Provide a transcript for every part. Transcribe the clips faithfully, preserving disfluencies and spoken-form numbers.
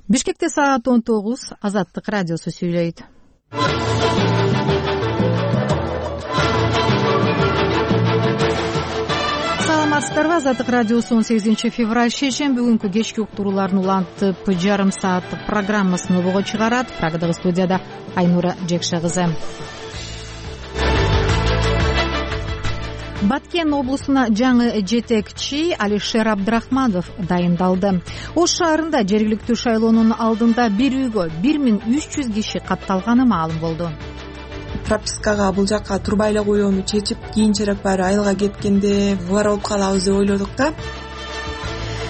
Бишкекте саат он тогуз. Азаттык радиосу сүйлөйт. Саламатсыздарбы? Азаттык радиосу он сегизинчи февраль шейшемби күнкү кечки уктурууларын улантып жарым сааттык программасын обого чыгарат. Прагадагы студияда Айнура Жекше кызы. Баткен облусуна жаңы жетекчи Алишер Абдрахманов дайындалды. Ош шаарында жергиликтүү шайлоонун алдында бир үйгө бир миң үч жүз киши катталганы маалым болду. Пропискага бул жакка турбай эле коюуну чечип, кийинчерээк баары айылга кеткенде булар болуп калабыз деп ойлодук да.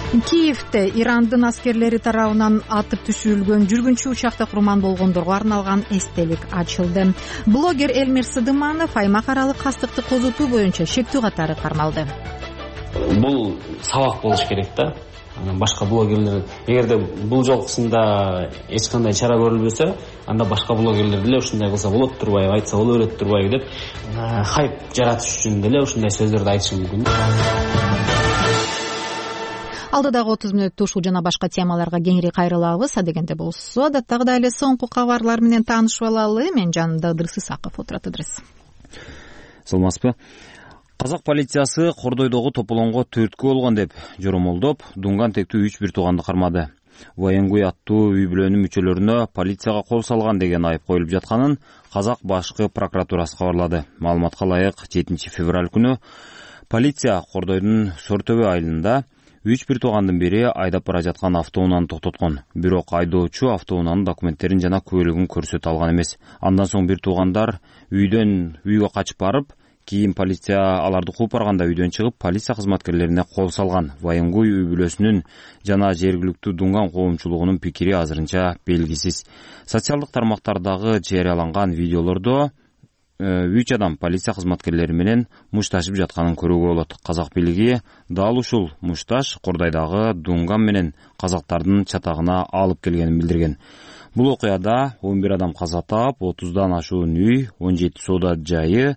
Киевде Ирандын аскерлери тарабынан атып түшүрүлгөн жүргүнчү учакта курман болгондорго арналган эстелик ачылды. Блогер Элмир Сыдыманов аймак аралык кастыкты козутуу боюнча шектүү катары кармалды. Бул сабак болуш керек да. Башка блогерлер, эгерде бул жолкусунда эч кандай чара көрүлбөсө, анда башка блогерлер деле ушундай кылса болот турбайбы, айтса боло берет турбайбы деп хайп жаратыш үчүн деле ушундай сөздөрдү айтышы мүмкүн. Алдыдагы отуз мүнөттө ушул жана башка темаларга кеңири кайрылабыз. Адегенде болсо, адаттагыдай эле соңку кабарлар менен таанышып алалы. Мен жанымда Ыдырыс Исаков отурат. Ыдырыс. Саламатсызбы? Казак полициясы Кордойдогу тополонго төрткү болгон деп жоромолдоп, дунган тектүү үч бир тууганды кармады. Военгуй аттуу үй бүлөнүн мүчөлөрүнө полицияга кол салган деген айып коюлуп жатканын Казак башкы прокуратурасы кабарлады. Маалыматка ылайык жетинчи февраль күнү полиция Кордойдун Сортөбө айылында үч бир туугандын бири айдап бара жаткан автоунааны токтоткон. Бирок айдоочу автоунаанын документтерин жана куәлигин көрсөтө алган эмес. Андан соң бир туугандар үйдөн үйгө качып барып, кийин полиция аларды кууп барганда үйдөн чыгып, полиция кызматкерлерине кол салган. Военгуй үй бүлөсүнүн жана жергиликтүү дунган коомчулугунун пикири азырынча белгисиз. Социалдык тармактардагы жарыяланган видеолордо үч адам полиция кызматкерлери менен мушташып жатканын көрүүгө болот. Казак бийлиги дал ушул мушташ Кордойдагы дунган менен казактардын чатагына алып келгенин билдирген. Бул окуяда он бир адам каза таап, отуздан ашуун үй, он жети соода жайы,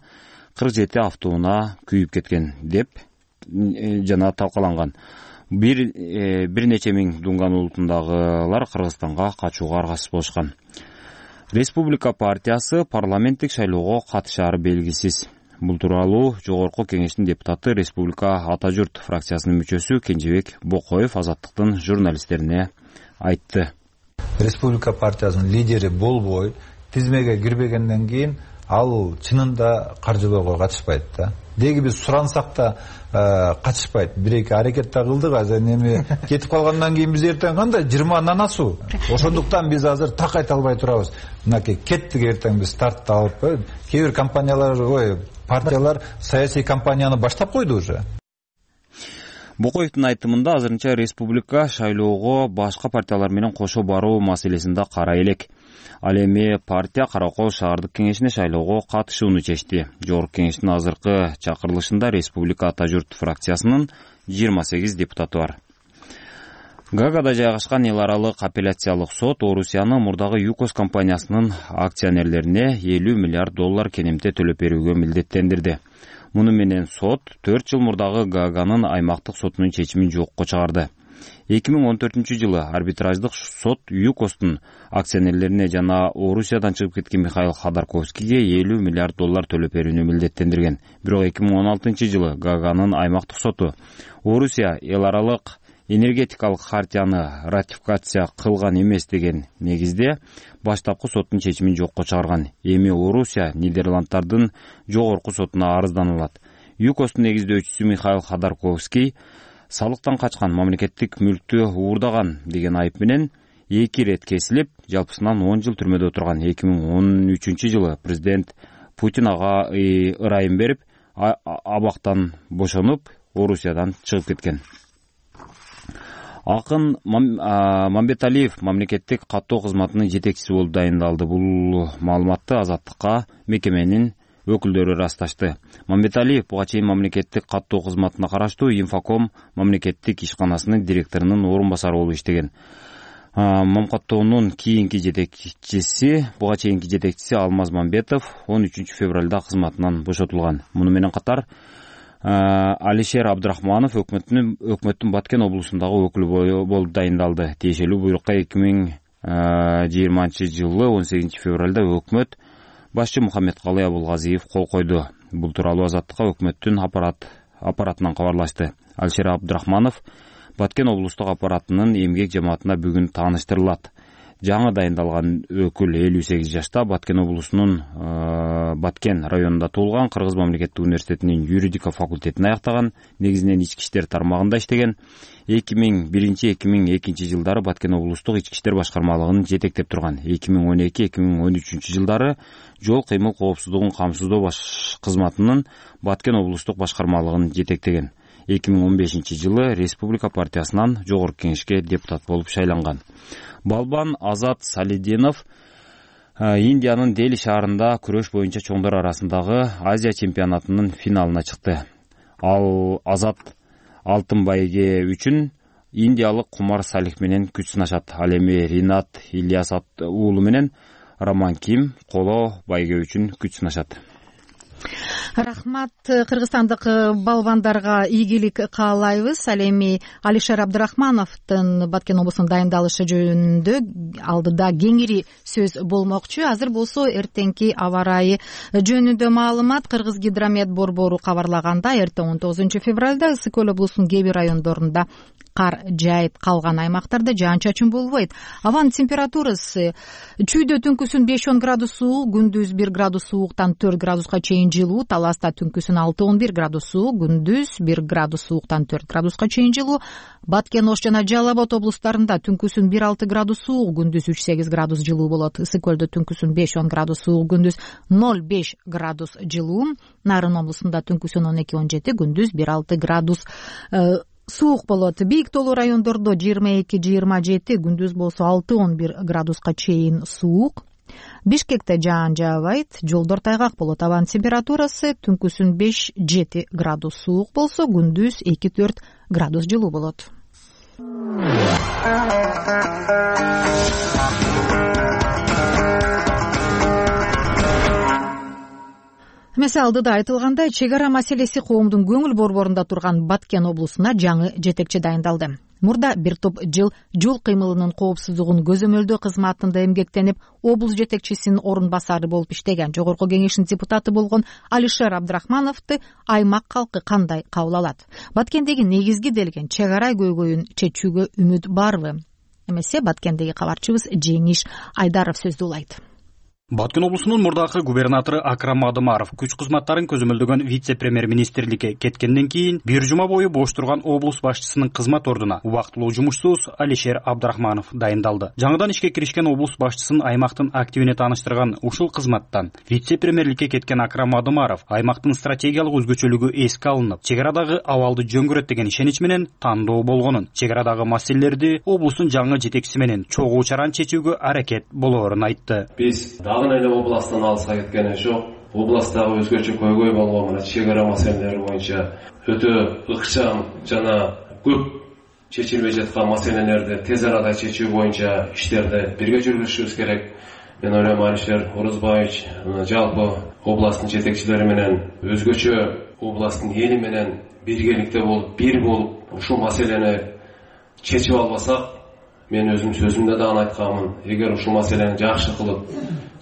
кырк жети автоунаа күйүп кеткен деп жана талкаланган. Бир бир нече миң дунган улутундагылар Кыргызстанга качууга аргасыз болушкан. Республика партиясы парламенттик шайлоого катышаары белгисиз. Бул тууралуу Жогорку Кеңештин депутаты, Республика Ата журт фракциясынын мүчөсү Кенжебек Бокоев Азаттыктын журналисттерине айтты. Республика партиясынын лидери болбой, тизмеге кирбегенден кийин ал чынында каржылоого катышпайт да. Деги биз сурансак да катышпайт. Бир-эки аракет да кылдык, азыр эми кетип калгандан кийин биз эртең кандай жыйырма нанасу. Ошондуктан биз азыр так айта албай турабыз. Мынакей кеттик, эртең биз стартты алып, кээ бир компаниялар, ой, партиялар саясий кампанияны баштап койду уже. Бокоевдин айтымында азырынча республика шайлоого башка партиялар менен кошо баруу маселесин да карай элек. Ал эми партия Каракол шаардык кеңешине шайлоого катышууну чечти. Жогорку кеңештин азыркы чакырылышында Республика Ата журт фракциясынын жыйырма сегиз депутаты бар. Гаагада жайгашкан эл аралык апелляциялык сот Орусияны мурдагы ЮКОС компаниясынын акционерлерине элүү миллиард доллар кенемте төлөп берүүгө милдеттендирди. Муну менен сот төрт жыл мурдагы Гааганын аймактык сотунун чечимин жокко чыгарды. эки миң он төртүнчү жылы арбитраждык сот ЮКОСтун акционерлерине жана Орусиядан чыгып кеткен Михаил Ходорковскийге элүү миллиард доллар төлөп берүүнү милдеттендирген. Бирок эки миң он алтынчы жылы Гааганын аймактык соту Орусия эл аралык энергетикалык хартияны ратификация кылган эмес деген негизде баштапкы соттун чечимин жокко чыгарган. Эми Орусия Нидерланддардын жогорку сотуна арыздан алат. ЮКОСтун негиздөөчүсү Михаил Ходорковский салыктан качкан, мамлекеттик мүлктү уурдаган деген айып менен эки ирет кесилип, жалпысынан он жыл түрмөдө отурган. эки миң он үчүнчү жылы президент Путин ага ырайым берип, абактан бошонуп, Орусиядан чыгып кеткен. Акын Мамбеталиев мамлекеттик каттоо кызматынын жетекчиси болуп дайындалды. Бул маалыматты Азаттыкка мекеменин өкүлдөрү расташты. Мамбеталиев буга чейин мамлекеттик каттоо кызматына караштуу Инфоком мамлекеттик ишканасынын директорунун орун басары болуп иштеген. Мамкаттоонун кийинки жетекчиси, буга чейинки жетекчиси Алмаз Мамбетов он үчүнчү февралда кызматынан бошотулган. Муну менен катар Алишер Абдрахманов өкмөттүн өкмөттүн Баткен облусундагы өкүлү болуп дайындалды. Тиешелүү буйрукка эки миң жыйырманчы жылы он сегизинчи февралда өкмөт башчы Мухаммедкалый Абулгазиев кол койду. Бул тууралуу Азаттыкка өкмөттүн аппарат аппаратынан кабарлашты. Алишер Абдрахманов Баткен облустук аппаратынын эмгек жамаатына бүгүн тааныштырылат. Жаңы дайындалган өкүл элүү сегиз жашта, Баткен облусунун Баткен районунда туулган, Кыргыз мамлекеттик университетинин юридика факультетин аяктаган, негизинен ички иштер тармагында иштеген. эки миң биринчи — эки миң экинчи жылдары Баткен облустук ички иштер башкармалыгын жетектеп турган. эки миң он эки — эки миң он үчүнчү жылдары жол кыймыл коопсуздугун камсыздоо баш кызматынын Баткен облустук башкармалыгын жетектеген. эки миң он бешинчи жылы Республика партиясынан жогорку кеңешке депутат болуп шайланган. Балбан Азат Салидинов Индиянын Дели шаарында күрөш боюнча чоңдор арасындагы Азия чемпионатынын финалына чыкты. Ал Азат алтын байге үчүн индиялык Кумар Салих менен күч сынашат. Ал эми Ринат Ильяс уулу менен Роман Ким коло байге үчүн күч сынашат. Рахмат. Кыргызстандык балбандарга ийгилик каалайбыз. Ал эми Алишер Абдрахмановдун Баткен облусунун дайындалышы жөнүндө алдыда кеңири сөз болмокчу. Азыр болсо эртеңки аба ырайы жөнүндө маалымат. Кыргыз гидромет борбору кабарлаганда, эртең он тогузунчу февралда Ысык көл облусунун кээ бир райондорунда кар жайып калган аймактарда жаан-чачын болбойт. Абанын температурасы чүйдө түнкүсүн беш он градус суук, күндүз бир градус сууктан төрт градуска чейин жылуу, Таласта түнкүсүн алты он бир градус суук, күндүз бир градус сууктан төрт градуска чейин жылуу. Баткен, Ош жана Жалал Абад облустарында түнкүсүн бир алты градус суук, күндүз үч сегиз градус жылуу болот. Ысык көлдө түнкүсүн беш он градус суук, күндүз ноль беш градус жылуу. Нарын облусунда түнкүсүн он эки он жети, күндүз бир алты градус суук болот. Бийик тоолуу райондордо жыйырма эки жыйырма жети, күндүз болсо алты он бир градуска чейин суук. Бишкекте жаан жаабайт, жолдор тайгак болот. Абанын температурасы түнкүсүн беш жети градус суук болсо, күндүз эки төрт градус жылуу болот. Эмесе алдыда айтылгандай, чек ара маселеси коомдун көңүл борборунда турган Баткен облусуна жаңы жетекчи дайындалды. Мурда бир топ жыл жол кыймылынын коопсуздугун көзөмөлдөө кызматында эмгектенип, облус жетекчисинин орун басары болуп иштеген жогорку кеңештин депутаты болгон Алишер Абдрахмановду аймак калкы кандай кабыл алат? Баткендеги негизги делген чек ара көйгөйүн чечүүгө үмүт барбы? Эмесе Баткендеги кабарчыбыз Жеңиш Айдаров сөздү улайт. Баткен облусунун мурдакы губернатору Акрам Адымаров күч кызматтарын көзөмөлдөгөн вице-премьер-министрликке кеткенден кийин бир жума бою бош турган облус башчысынын кызмат ордуна убактылуу жумушсуз Алишер Абдрахманов дайындалды. Жаңыдан ишке киришкен облус башчысын аймактын активине тааныштырган ушул кызматтан вице-премьерликке кеткен Акрам Адымаров аймактын стратегиялык өзгөчөлүгү эске алынып, чек арадагы абалды жөн көрөт деген ишенич менен тандоо болгонун, чек арадагы маселелерди облустун жаңы жетекчиси менен чогуу чаран чечүүгө аракет болоорун айтты. Биз эле областан алыска кеткен жок. Областагы өзгөчө көйгөй болгон мына чек ара маселелери боюнча өтө ыкчам жана көп чечилбей жаткан маселелерди тез арада чечүү боюнча иштерди бирге жүргүзүшүбүз керек. Мен ойлойм, Алишер Орозбаевич жалпы областтын жетекчилери менен өзгөчө областтын эли менен биргеликте болуп, бир болуп ушул маселени чечип албасак, мен өзүм сөзүмдө дагы айтканмын, эгер ушул маселени жакшы кылып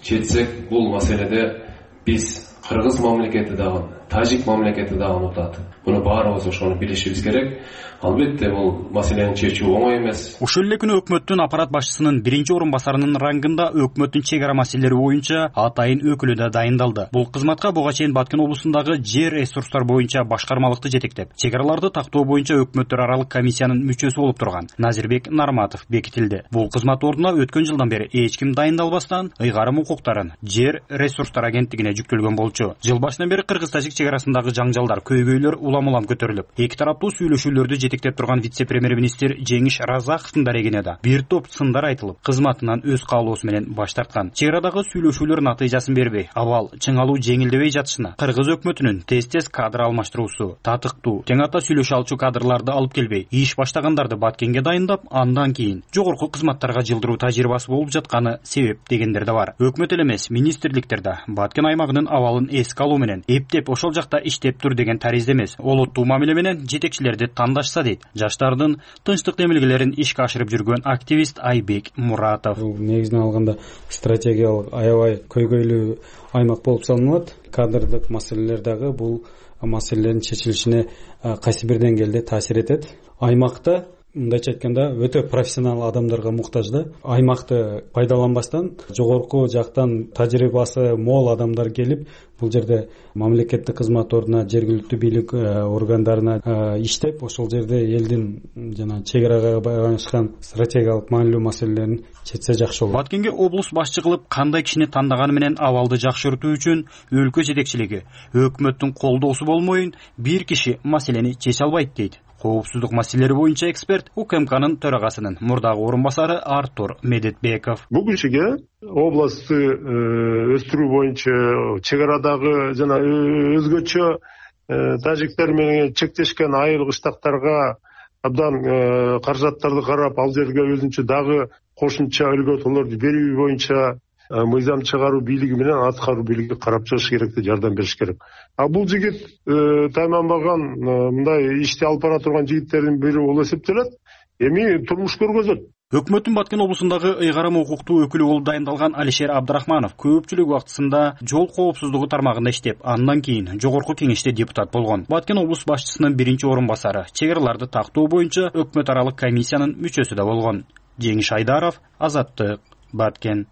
чечсек, бул маселеде биз Кыргыз мамлекети дагы, Тажик мамлекети дагы утат. Муну баарыбыз ошону билишибиз керек. Албетте бул маселени чечүү оңой эмес. Ушул эле күнү өкмөттүн аппарат башчысынын биринчи орун басарынын рангында өкмөттүн чек ара маселелери боюнча атайын өкүлү да дайындалды. Бул кызматка буга чейин Баткен облусундагы жер ресурстар боюнча башкармалыкты жетектеп, чек араларды тактоо боюнча өкмөттөр аралык комиссиянын мүчөсү болуп турган Назирбек Нарматов бекитилди. Бул кызмат ордуна өткөн жылдан бери эч ким дайындалбастан ыйгарым укуктарын жер ресурстар агенттигине жүктөлгөн болчу. Жыл башынан бери Кыргыз-Тажик чек арасындагы жаңжалдар, көйгөйлөр улам-улам көтөрүлүп, эки тараптуу сүйлөшүүлөрдү жетектеп турган вице-премьер-министр Жеңиш Разаковдун дарегине да бир топ сындар айтылып, кызматынан өз каалоосу менен баш тарткан. Чек арадагы сүйлөшүүлөр натыйжасын бербей, абал чыңалуу жеңилдебей жатышына Кыргыз өкмөтүнүн тез-тез кадр алмаштыруусу, татыктуу, тең ата сүйлөшө алчу кадрларды алып келбей, иш баштагандарды Баткенге дайындап, андан кийин жогорку кызматтарга жылдыруу тажрыйбасы болуп жатканы себеп дегендер да бар. Өкмөт эле эмес, министрликтер да Баткен аймагынын абалын эске алуу менен эптеп ошол ошол жакта иштептир деген таризде эмес. Олуттуу мамиле менен жетекчилерди тандашса дейт жаштардын тынчтык демилгелерин ишке ашырып жүргөн активист Айбек Муратов. Негизинен алганда стратегиялык аябай көйгөйлүү аймак болуп саналат. Кадрдык маселелер дагы бул маселелердин чечилишине кайсы бир деңгээлде таасир этет. Аймакта мындайча айтканда өтө профессионал адамдарга муктаж да. Аймакты пайдаланбастан жогорку жактан тажрыйбасы мол адамдар келип бул жерде мамлекеттик кызмат ордуна, жергиликтүү бийлик органдарына иштеп, ошол жерде элдин жана чек арага байланышкан стратегиялык маанилүү маселелерин чечсе жакшы болот. Баткенге облус башчы кылып кандай кишини тандаганы менен абалды жакшыртуу үчүн өлкө жетекчилиги өкмөттүн колдоосу болмойун бир киши маселени чече албайт дейт. Коопсуздук маселелери боюнча эксперт УКМКнын төрагасынын мурдагы орун басары Артур Медетбеков. Бүгүнчүгө областты өстүрүү боюнча чек арадагы жана өзгөчө тажиктер менен чектешкен айыл кыштактарга абдан каражаттарды карап, ал жерге өзүнчө дагы кошумча өлгөтөлөрдү берүү боюнча мыйзам чыгаруу бийлиги менен аткаруу бийлиги карап чыгыш керек деп жардам бериш керек. А бул жигит тайманбаган мындай ишти алып бара турган жигиттердин бири болуп эсептелет. Эми турмуш көргөзөт. Өкмөттүн Баткен облусундагы ыйгарым укуктуу өкүлү болуп дайындалган Алишер Абдрахманов көпчүлүк убактысында жол коопсуздугу тармагында иштеп, андан кийин жогорку кеңеште депутат болгон. Баткен облус башчысынын биринчи орун басары, чек араларды тактоо боюнча өкмөт аралык комиссиянын мүчөсү да болгон. Жеңиш Айдаров, Азаттык, Баткен.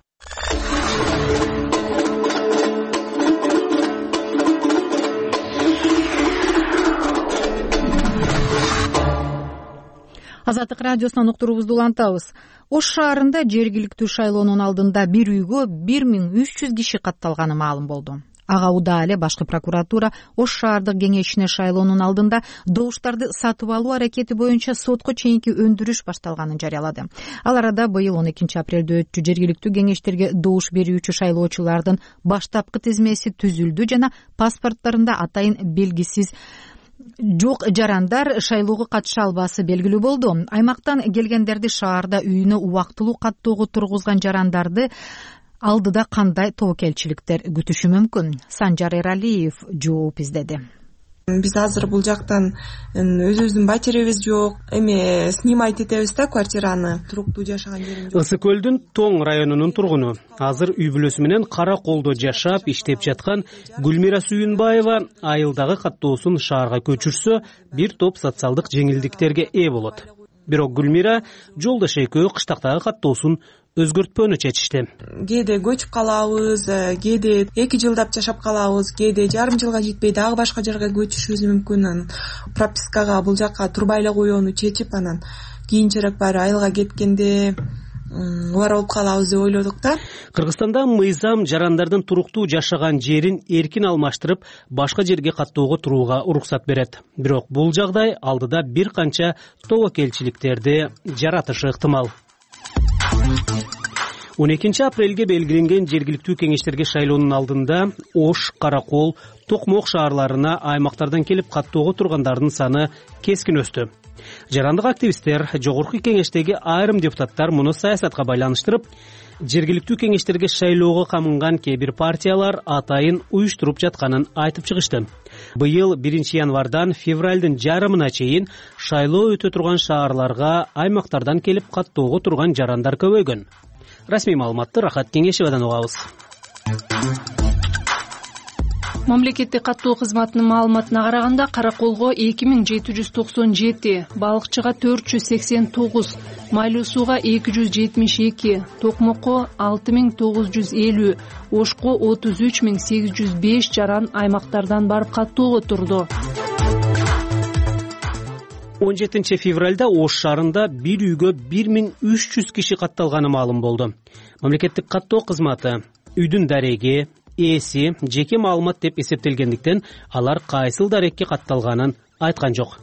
Азаттык радиосунан уктуруубузду улантабыз. Ош шаарында жергиликтүү шайлоонун алдында бир үйгө бир миң үч жүз киши катталганы маалым болду. Ага удаа эле башкы прокуратура Ош шаардык кеңешине шайлоонун алдында добуштарды сатып алуу аракети боюнча сотко чейинки өндүрүш башталганын жарыялады. Ал арада быйыл он экинчи апрелде өтчү жергиликтүү кеңештерге добуш берүүчү шайлоочулардын баштапкы тизмеси түзүлдү жана паспорттарында атайын белгисиз жок жарандар шайлоого катыша албасы белгилүү болду. Аймактан келгендерди шаарда үйүнө убактылуу каттоого тургузган жарандарды алдыда кандай тобокелчиликтер күтүшү мүмкүн? Санжар Эралиев жооп издеди. Биз азыр бул жактан өзүбүздүн батиребиз жок, эми снимать этебиз да квартираны, туруктуу жашаган жерим жок. Ысык көлдүн Тоң районунун тургуну, азыр үй бүлөсү менен Кара Колдо жашап, иштеп жаткан Гүлмира Сүйүнбаева айылдагы каттоосун шаарга көчүрсө, бир топ социалдык жеңилдиктерге ээ болот. Бирок Гүлмира жолдош экөө кыштактагы каттоосун өзгөртпөөнү чечишти. Кээде көчүп калабыз, кээде эки жылдап жашап калабыз, кээде жарым жылга жетпей дагы башка жерге көчүшүбүз мүмкүн. Анан пропискага бул жакка турбай эле коюуну чечип, анан кийинчерээк баары айылга кеткенде бар болуп калабыз деп ойлодук да. Кыргызстанда мыйзам жарандардын туруктуу жашаган жерин эркин алмаштырып, башка жерге каттоого турууга уруксат берет. Бирок бул жагдай алдыда бир канча тобокелчиликтерди жаратышы ыктымал. он экинчи апрелге белгиленген жергиликтүү кеңештерге шайлоонун алдында Ош, Каракол, Токмок шаарларына аймактардан келип каттоого тургандардын саны кескин өстү. Жарандык активисттер, жогорку кеңештеги айрым депутаттар муну саясатка байланыштырып, жергиликтүү кеңештерге шайлоого камынган кээ бир партиялар атайын уюштуруп жатканын айтып чыгышты. Быйыл биринчи январдан февралдын жарымына чейин шайлоо өтө турган шаарларга аймактардан келип каттоого турган жарандар көбөйгөн. Расмий маалыматты Рахат Кеңешевадан угабыз. Мамлекеттик каттоо кызматынын маалыматына караганда Караколго эки миң жети жүз токсон жети, Балыкчыга төрт жүз сексен тогуз, Майлуу сууга эки жүз жетимиш эки, Токмокко алты миң тогуз жүз элүү, Ошко отуз үч миң сегиз жүз беш жаран аймактардан барып каттоого турду. он жетинчи февралда Ош шаарында бир үйгө бир миң үч жүз киши катталганы маалым болду. Мамлекеттик каттоо кызматы үйдүн дареги, ээси жеке маалымат деп эсептелгендиктен алар кайсыл дарекке катталганын айткан жок.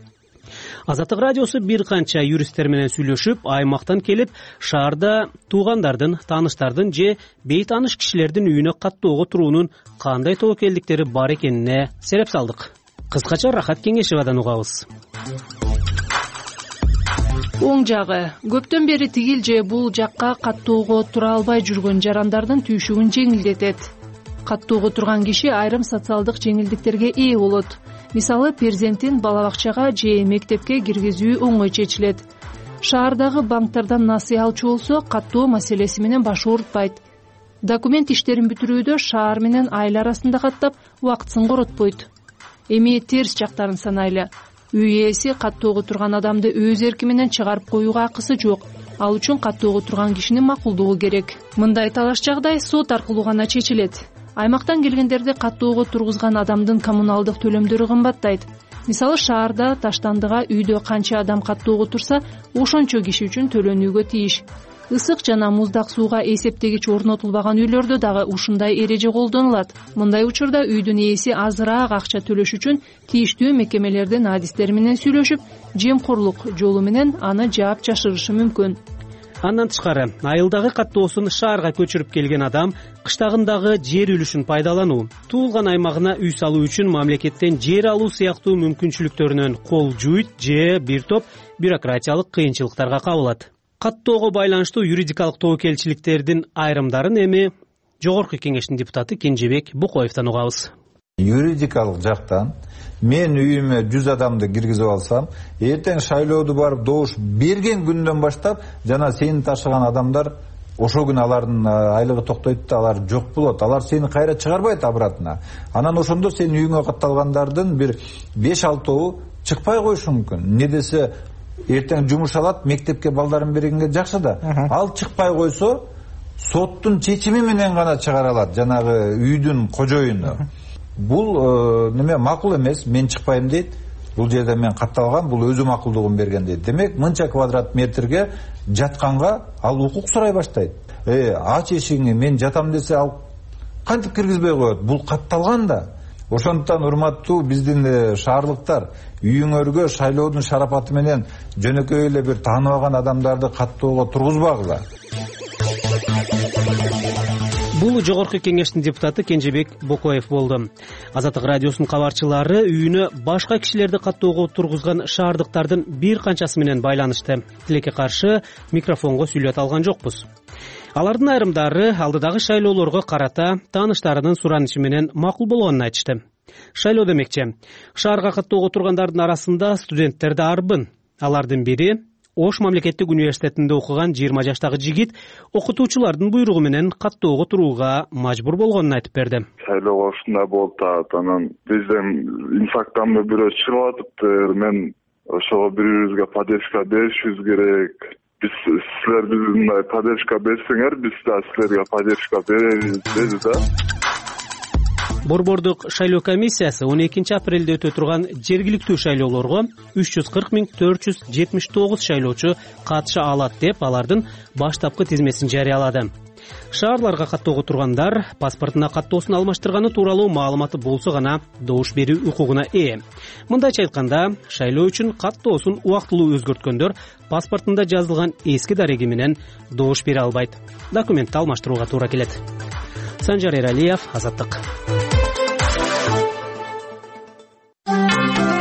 Азаттык радиосу бир канча юристтер менен сүйлөшүп, аймактан келип, шаарда туугандардын, тааныштардын же бейтааныш кишилердин үйүнө каттоого туруунун кандай тобокелдиктери бар экенине сереп салдык. Кыскача Рахат Кеңешевадан угабыз. Оң жагы, көптөн бери тигил же бул жакка каттоого тура албай жүргөн жарандардын түйшүгүн жеңилдетет. каттоого турган киши айрым социалдык жеңилдиктерге ээ болот. Мисалы, перзентин бала бакчага же мектепке киргизүү оңой чечилет. Шаардагы банктардан насыя алчу болсо, каттоо маселеси менен баш оорутпайт. Документ иштерин бүтүрүүдө шаар менен айыл арасында каттап, убактысын коротпойт. Эми терс жактарын санайлы. Үй ээси каттоого турган адамды өз эрки менен чыгарып коюуга акысы жок. Ал үчүн каттоого турган кишинин макулдугу керек. Мындай талаш жагдай сот аркылуу гана чечилет. Аймактан келгендерди каттоого тургузган адамдын коммуналдык төлөмдөрү кымбаттайт. Мисалы, шаарда таштандыга үйдө канча адам каттоого турса, ошончо киши үчүн төлөнүүгө тийиш. Ысык жана муздак сууга эсептегич орнотулбаган үйлөрдө дагы ушундай эреже колдонулат. Мындай учурда үйдүн ээси азыраак акча төлөш үчүн тийиштүү мекемелердин адистери менен сүйлөшүп, жемкорлук жолу менен аны жаап жашырышы мүмкүн. Андан тышкары, айылдагы каттоосун шаарга көчүрүп келген адам кыштагындагы жер үлүшүн пайдалануу, туулган аймагына үй салуу үчүн мамлекеттен жер алуу сыяктуу мүмкүнчүлүктөрүнөн кол жуйт же бир топ бюрократиялык кыйынчылыктарга кабылат. Каттоого байланыштуу юридикалык тобокелчиликтердин айрымдарын эми Жогорку Кеңештин депутаты Кенжебек Букоевдон угабыз. Юридикалык жактан мен үйүмө жүз адамды киргизип алсам, эртең шайлоодо барып добуш берген күндөн баштап жана сени ташыган адамдар ошол күнү алардын айлыгы токтойт да, алар жок болот. Алар сени кайра чыгарбайт обратно. Анан ошондо сенин үйүңө катталгандардын бир беш алтоо чыкпай коюшу мүмкүн. Не десе эртең жумуш алат, мектепке балдарын бергенге жакшы да. Ал чыкпай койсо, соттун чечими менен гана чыгара алат жанагы үйдүн кожоюну. Бул неме макул эмес, мен чыкпайм дейт. Бул жерде мен катталгам, бул өзү макулдугун берген дейт. Демек, мынча квадрат метрге жатканга ал укук сурай баштайт. Э, ач эшигиңи, мен жатам десе, ал кантип киргизбей коет? Бул катталган да. Ошондуктан урматтуу биздин шаарлыктар, үйүңөргө шайлоодун шарапаты менен жөнөкөй эле бир тааныбаган адамдарды каттоого тургузбагыла. Бул Жогорку Кеңештин депутаты Кенжебек Бокоев болду. Азаттык радиосунун кабарчылары үйүнө башка кишилерди каттоого тургузган шаардыктардын бир канчасы менен байланышты. Тилекке каршы микрофонго сүйлөт алган жокпуз. Алардын айрымдары алдыдагы шайлоолорго карата тааныштарынын суранышы менен макул болгонун айтышты. Шайлоо демекчи, шаарга каттоого тургандардын арасында студенттер да арбын. Алардын бири Ош мамлекеттик университетинде окуган жыйырма жаштагы жигит окутуучулардын буйругу менен каттоого турууга мажбур болгонун айтып берди. Шайлоого ушундай болуп атат, анан бизден инфактан бирөө чыгып атыптыр. Мен ошого бири-бирибизге поддержка беришибиз керек. Биз силер бизге поддержка берсеңер, биз да силерге поддержка беребиз деди да. Борбордук шайлоо комиссиясы он экинчи апрелде өтө турган жергиликтүү шайлоолорго үч жүз кырк миң төрт жүз жетимиш тогуз шайлоочу катыша алат деп алардын баштапкы тизмесин жарыялады. Шаарларга каттоого тургандар паспортуна каттоосун алмаштырганы тууралуу маалыматы болсо гана добуш берүү укугуна ээ. Мындайча айтканда, шайлоо үчүн каттоосун убактылуу өзгөрткөндөр паспортунда жазылган эски дареги менен добуш бере албайт. Документти алмаштырууга туура келет. Санжар Эралиев, Азаттык.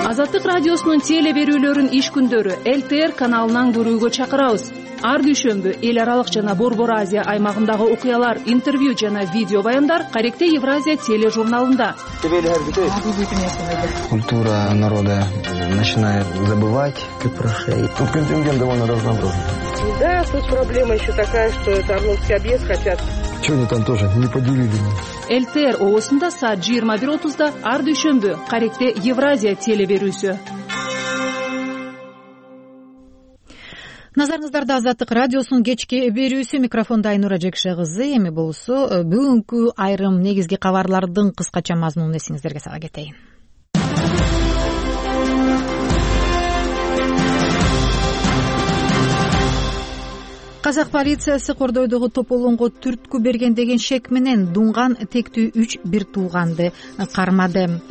Азаттык радиосунун теле берүүлөрүн иш күндөрү эл тэ эр каналынан көрүүгө чакырабыз. Ар дүйшөмбү эл аралык жана Борбор Азия аймагындагы окуялар, интервью жана видео баяндар Каректе Евразия тележурналында. Культура народа начинает забывать, как прошли. Тут контингент довольно разнообразный. Да, тут проблема еще такая, что это Орловский объезд хотят. Чего они там тоже не поделили? эл тэ эр оосунда саат жыйырма бир отузда ар дүйшөмбү Каректе Евразия теле берүүсү. Назарыңыздарда Азаттык радиосунун кечки берүүсү, микрофондо Айнура Жекше кызы. Эми болсо бүгүнкү айрым негизги кабарлардын кыскача мазмунун эсиңиздерге сала кетейин. Казак полициясы Кордойдогу Тополонго түрткү берген деген шек менен дунган тектүү үч бир тууганды кармады.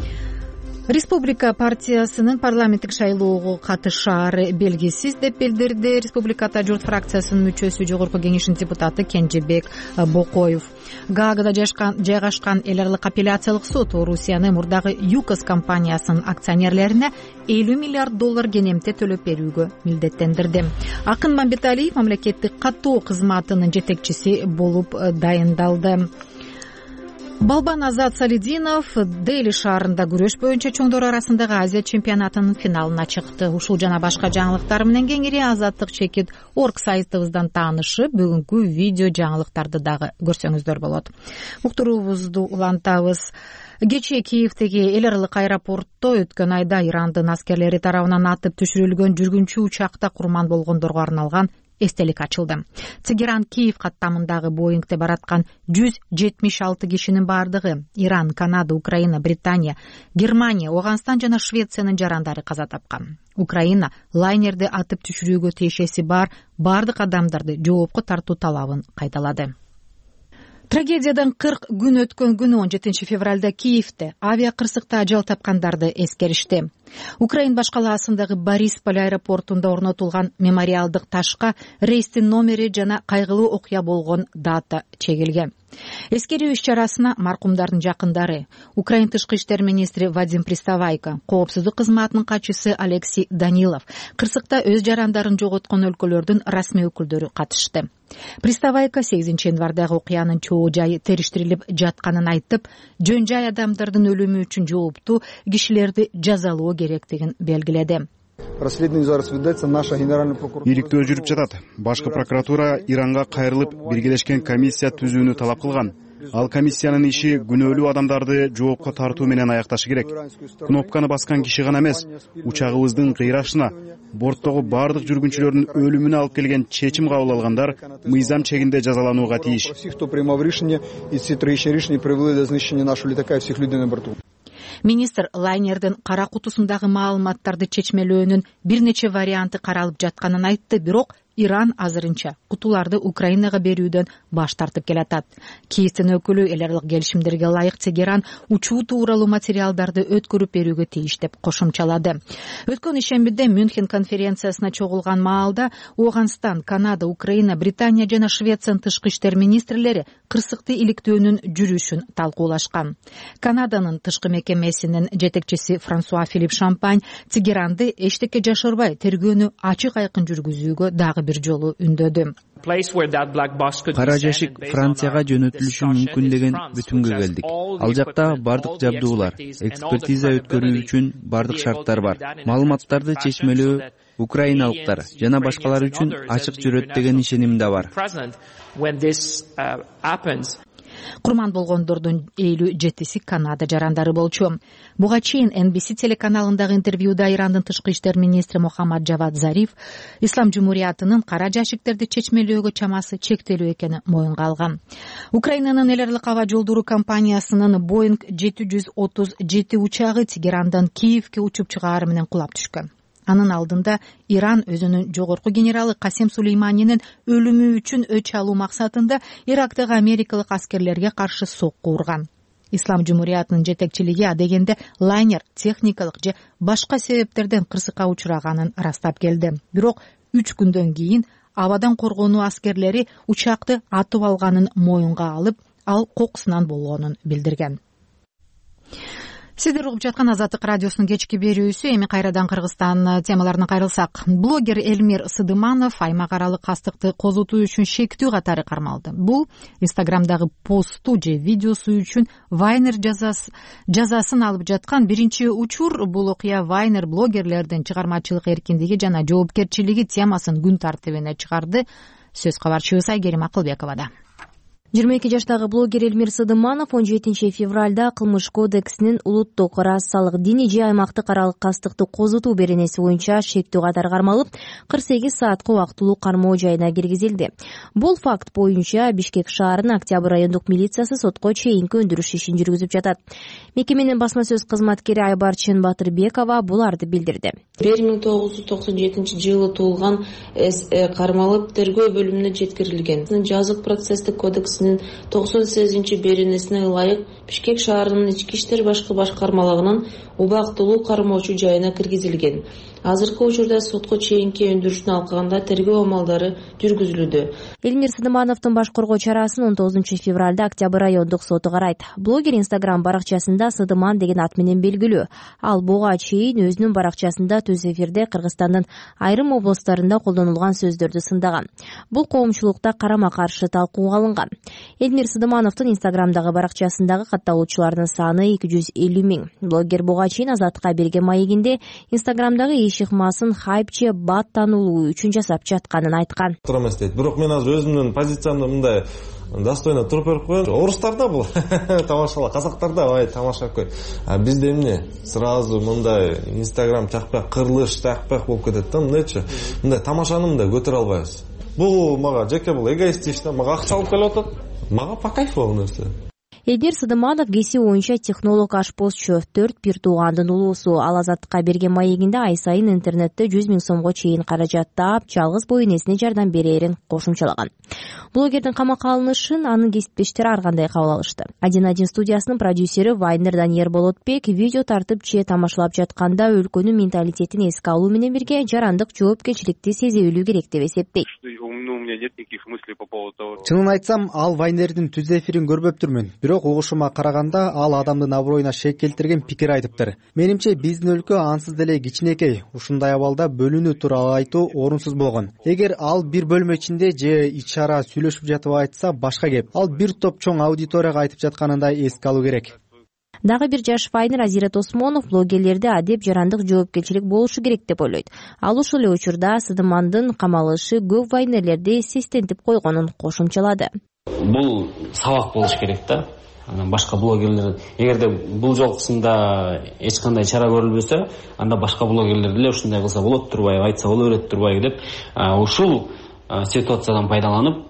Республика партиясынын парламенттик шайлоого катышаары белгисиз деп билдирди Республиката журт фракциясынын мүчөсү, Жогорку Кеңештин депутаты Кенжебек Бокоев. Гаагада жайгашкан эл аралык апелляциялык сот Орусияны мурдагы ЮКОС компаниясынын акционерлерине элүү миллиард доллар кенемте төлөп берүүгө милдеттендирди. Акын Мамбеталиев мамлекеттик каттоо кызматынын жетекчиси болуп дайындалды. Балбан Азат Салидинов Дели шаарында күрөш боюнча чоңдор арасындагы Азия чемпионатынын финалына чыкты. Ушул жана башка жаңылыктар менен кеңири Азаттык чекит орг сайтыбыздан таанышып, бүгүнкү видео жаңылыктарды дагы көрсөңүздөр болот. Уктуруубузду улантабыз. Кечээ Киевдеги эл аралык аэропортто өткөн айда Ирандын аскерлери тарабынан атып түшүрүлгөн жүргүнчү учакта курман болгондорго арналган эстелик ачылды. Тегеран Киев каттамындагы Боингде бараткан жүз жетимиш алты кишинин бардыгы Иран, Канада, Украина, Британия, Германия, Ооганстан жана Швециянын жарандары каза тапкан. Украина лайнерди атып түшүрүүгө тиешеси бар бардык адамдарды жоопко тартуу талабын кайталады. Трагедиядан кырк күн өткөн күнү он жетинчи февралда Киевде авиа кырсыкта ажал тапкандарды эскеришти. Украин баш калаасындагы Борисполь аэропортунда орнотулган мемориалдык ташка рейстин номери жана кайгылуу окуя болгон дата чегилген. Эскерүү иш-чарасына маркумдардын жакындары, Украин тышкы иштер министри Вадим Приставайко, коопсуздук кызматынын катчысы Алексей Данилов, кырсыкта өз жарандарын жоготкон өлкөлөрдүн расмий өкүлдөрү катышты. Приставайко сегизинчи январдагы окуянын чоо жайы териштирилип жатканын айтып, жөн жай адамдардын өлүмү үчүн жооптуу кишилерди жазалоо керектигин белгиледи. Иликтөө жүрүп жатат. Башкы прокуратура Иранга кайрылып биргелешкен комиссия түзүүнү талап кылган. Ал комиссиянын иши күнөөлүү адамдарды жоопко тартуу менен аякташы керек. Кнопканы баскан киши гана эмес, учагыбыздын кыйрашына, борттогу бардык жүргүнчүлөрдүн өлүмүнө алып келген чечим кабыл алгандар мыйзам чегинде жазаланууга тийиш. Министр лайнердин кара кутусундагы маалыматтарды чечмелөөнүн бир нече варианты каралып жатканын айтты, бирок Иран азырынча кутуларды Украинага берүүдөн баш тартып келатат. Киевдин өкүлү эл аралык келишимдерге ылайык Тегеран учуу тууралуу материалдарды өткөрүп берүүгө тийиш деп кошумчалады. Өткөн ишембиде Мюнхен конференциясына чогулган маалда Ооганстан, Канада, Украина, Британия жана Швециянын тышкы иштер министрлери кырсыкты иликтөөнүн жүрүшүн талкуулашкан. Канаданын тышкы мекемесинин жетекчиси Франсуа Филипп Шампань Тегеранды эчтеке жашырбай тергөөнү ачык айкын жүргүзүүгө дагы бир жолу үндөдү. Кара жашик Францияга жөнөтүлүшү мүмкүн деген бүтүнгө келдик. Ал жакта бардык жабдуулар, экспертиза өткөрүү үчүн бардык шарттар бар. Маалыматтарды чечмелөө украиналыктар жана башкалар үчүн ачык жүрөт деген ишеним да бар. Курман болгондордун элүү жетиси Канада жарандары болчу. Буга чейин Эн Би Си телеканалындагы интервьюда Ирандын тышкы иштер министри Мухаммад Жавад Зариф Ислам Жумуриятынын кара жашиктерди чечмелөөгө чамасы чектелүү экенин моюнга алган. Украинанын эл аралык аба жолдору компаниясынын Боинг жети жүз отуз жети учагы Тегерандан Киевге учуп чыгаар менен кулап түшкөн. Анын алдында Иран өзүнүн жогорку генералы Касем Сулейманинин өлүмү үчүн өч алуу максатында Ирактагы америкалык аскерлерге каршы сокку урган. Ислам Жумуриятынын жетекчилиги адегенде лайнер техникалык же башка себептерден кырсыкка учураганын ырастап келди. Бирок үч күндөн кийин абадан коргонуу аскерлери учакты атып алганын моюнга алып, ал кокусунан болгонун билдирген. Сиздер угуп жаткан Азаттык радиосунун кечки берүүсү. Эми кайрадан Кыргызстан темаларына кайрылсак, блогер Элмир Сыдыманов аймак аралык кастыкты козутуу үчүн шектүү катары кармалды. Бул Инстаграмдагы посту же видеосу үчүн Вайнер жазасын алып жаткан биринчи учур. Бул окуя Вайнер блогерлердин чыгармачылык эркиндиги жана жоопкерчилиги темасын күн тартибине чыгарды. Сөз кабарчыбыз Айгерим Акылбековада. жыйырма эки жаштагы блогер Элмир Сыдыманов он жетинчи февралда Кылмыш кодексинин улуттук расалык диний же аймактык аралык кастыкты козутуу беренеси боюнча шектүү катары кармалып, кырк сегиз саатка убактылуу кармоо жайына киргизилди. Бул факт боюнча Бишкек шаарынын Октябрь райондук милициясы сотко чейинки өндүрүш ишин жүргүзүп жатат. Мекеменин басма сөз кызматкери Айбарчын Батырбекова буларды билдирди. бир миң тогуз жүз токсон жетинчи жылы туулган кармалып тергөө бөлүмүнө жеткирилген. Жазык процесстик кодекс токсон сегизинчи беренесине ылайык Бишкек шаарынын ички иштер башкы башкармалыгынын убактылуу кармоочу жайына киргизилген. Азыркы учурда сотко чейинки өндүрүштүн алкагында тергөө амалдары жүргүзүлүүдө. Элмир Сыдымановдун баш коргоо чарасын он тогузунчу февралда Октябрь райондук соту карайт. Блогер Инстаграм баракчасында Сыдыман деген ат менен белгилүү. Ал буга чейин өзүнүн баракчасында түз эфирде Кыргызстандын айрым областарында колдонулган сөздөрдү сындаган. Бул коомчулукта карама каршы талкууга алынган. Элмир Сыдымановдун Инстаграмдагы баракчасындагы катталуучулардын саны эки жүз элүү миң. Блогер буга чейин Азатка берген маегинде Инстаграмдагы иш ыкмасын хайп же бат таанылуу үчүн жасап жатканын айткан. Эмес дейт. Бирок мен азыр өзүмдүн позициямды мындай достойно туруп берип коеюн. Орустарда бул тамашала, казактарда бай тамашалап койт. А бизде эмне? Сразу мындай Инстаграм чакпак, кырылыш чакпак болуп кетет да, мындайчы. Мындай тамашаны мындай көтөрө албайбыз. Бул мага жеке бул эгоистично, мага акча алып келип атат. Мага по кайфу бул нерсе. Элдер Сыдыманов кесип боюнча технолог ашпозчу, төрт бир туугандын улуусу. Ал Азаттыкка берген маегинде ай сайын интернетте жүз миң сомго чейин каражат таап, жалгыз боо энесине жардам берерин кошумчалаган. Блогердин камакка алынышын анын кесиптештери ар кандай кабыл алышты. один один студиясынын продюсери Вайнер Даниер Болотбек видео тартып же тамашалап жатканда өлкөнүн менталитетин эске алуу менен бирге жарандык жоопкерчиликти сезе билүү керек деп эсептейт. Чынын айтсам, ал Вайнердин түз эфирин көрбөптүрмүн. Бирок угушума караганда ал адамдын аброюна шек келтирген пикир айтыптыр. Менимче биздин өлкө ансыз деле кичинекей. Ушундай абалда бөлүнүү тууралуу айтуу орунсуз болгон. Эгер ал бир бөлмө ичинде же ич ара сүйлөшүп жатып айтса башка кеп. Ал бир топ чоң аудиторияга айтып жатканында эске алуу керек. Дагы бир жаш Вайнер Азирет Осмонов блогерлерде адеп жарандык жоопкерчилик болушу керек деп ойлойт. Ал ушул эле учурда Сыдымандын камалышы көп вайнерлерди сестентип койгонун кошумчалады. Бул сабак болуш керек да. Анан башка блогерлер эгерде бул жолкусунда эч кандай чара көрүлбөсө, анда башка блогерлер деле ушундай кылса болот турбайбы, айтса боло берет турбайбы деп ушул ситуациядан пайдаланып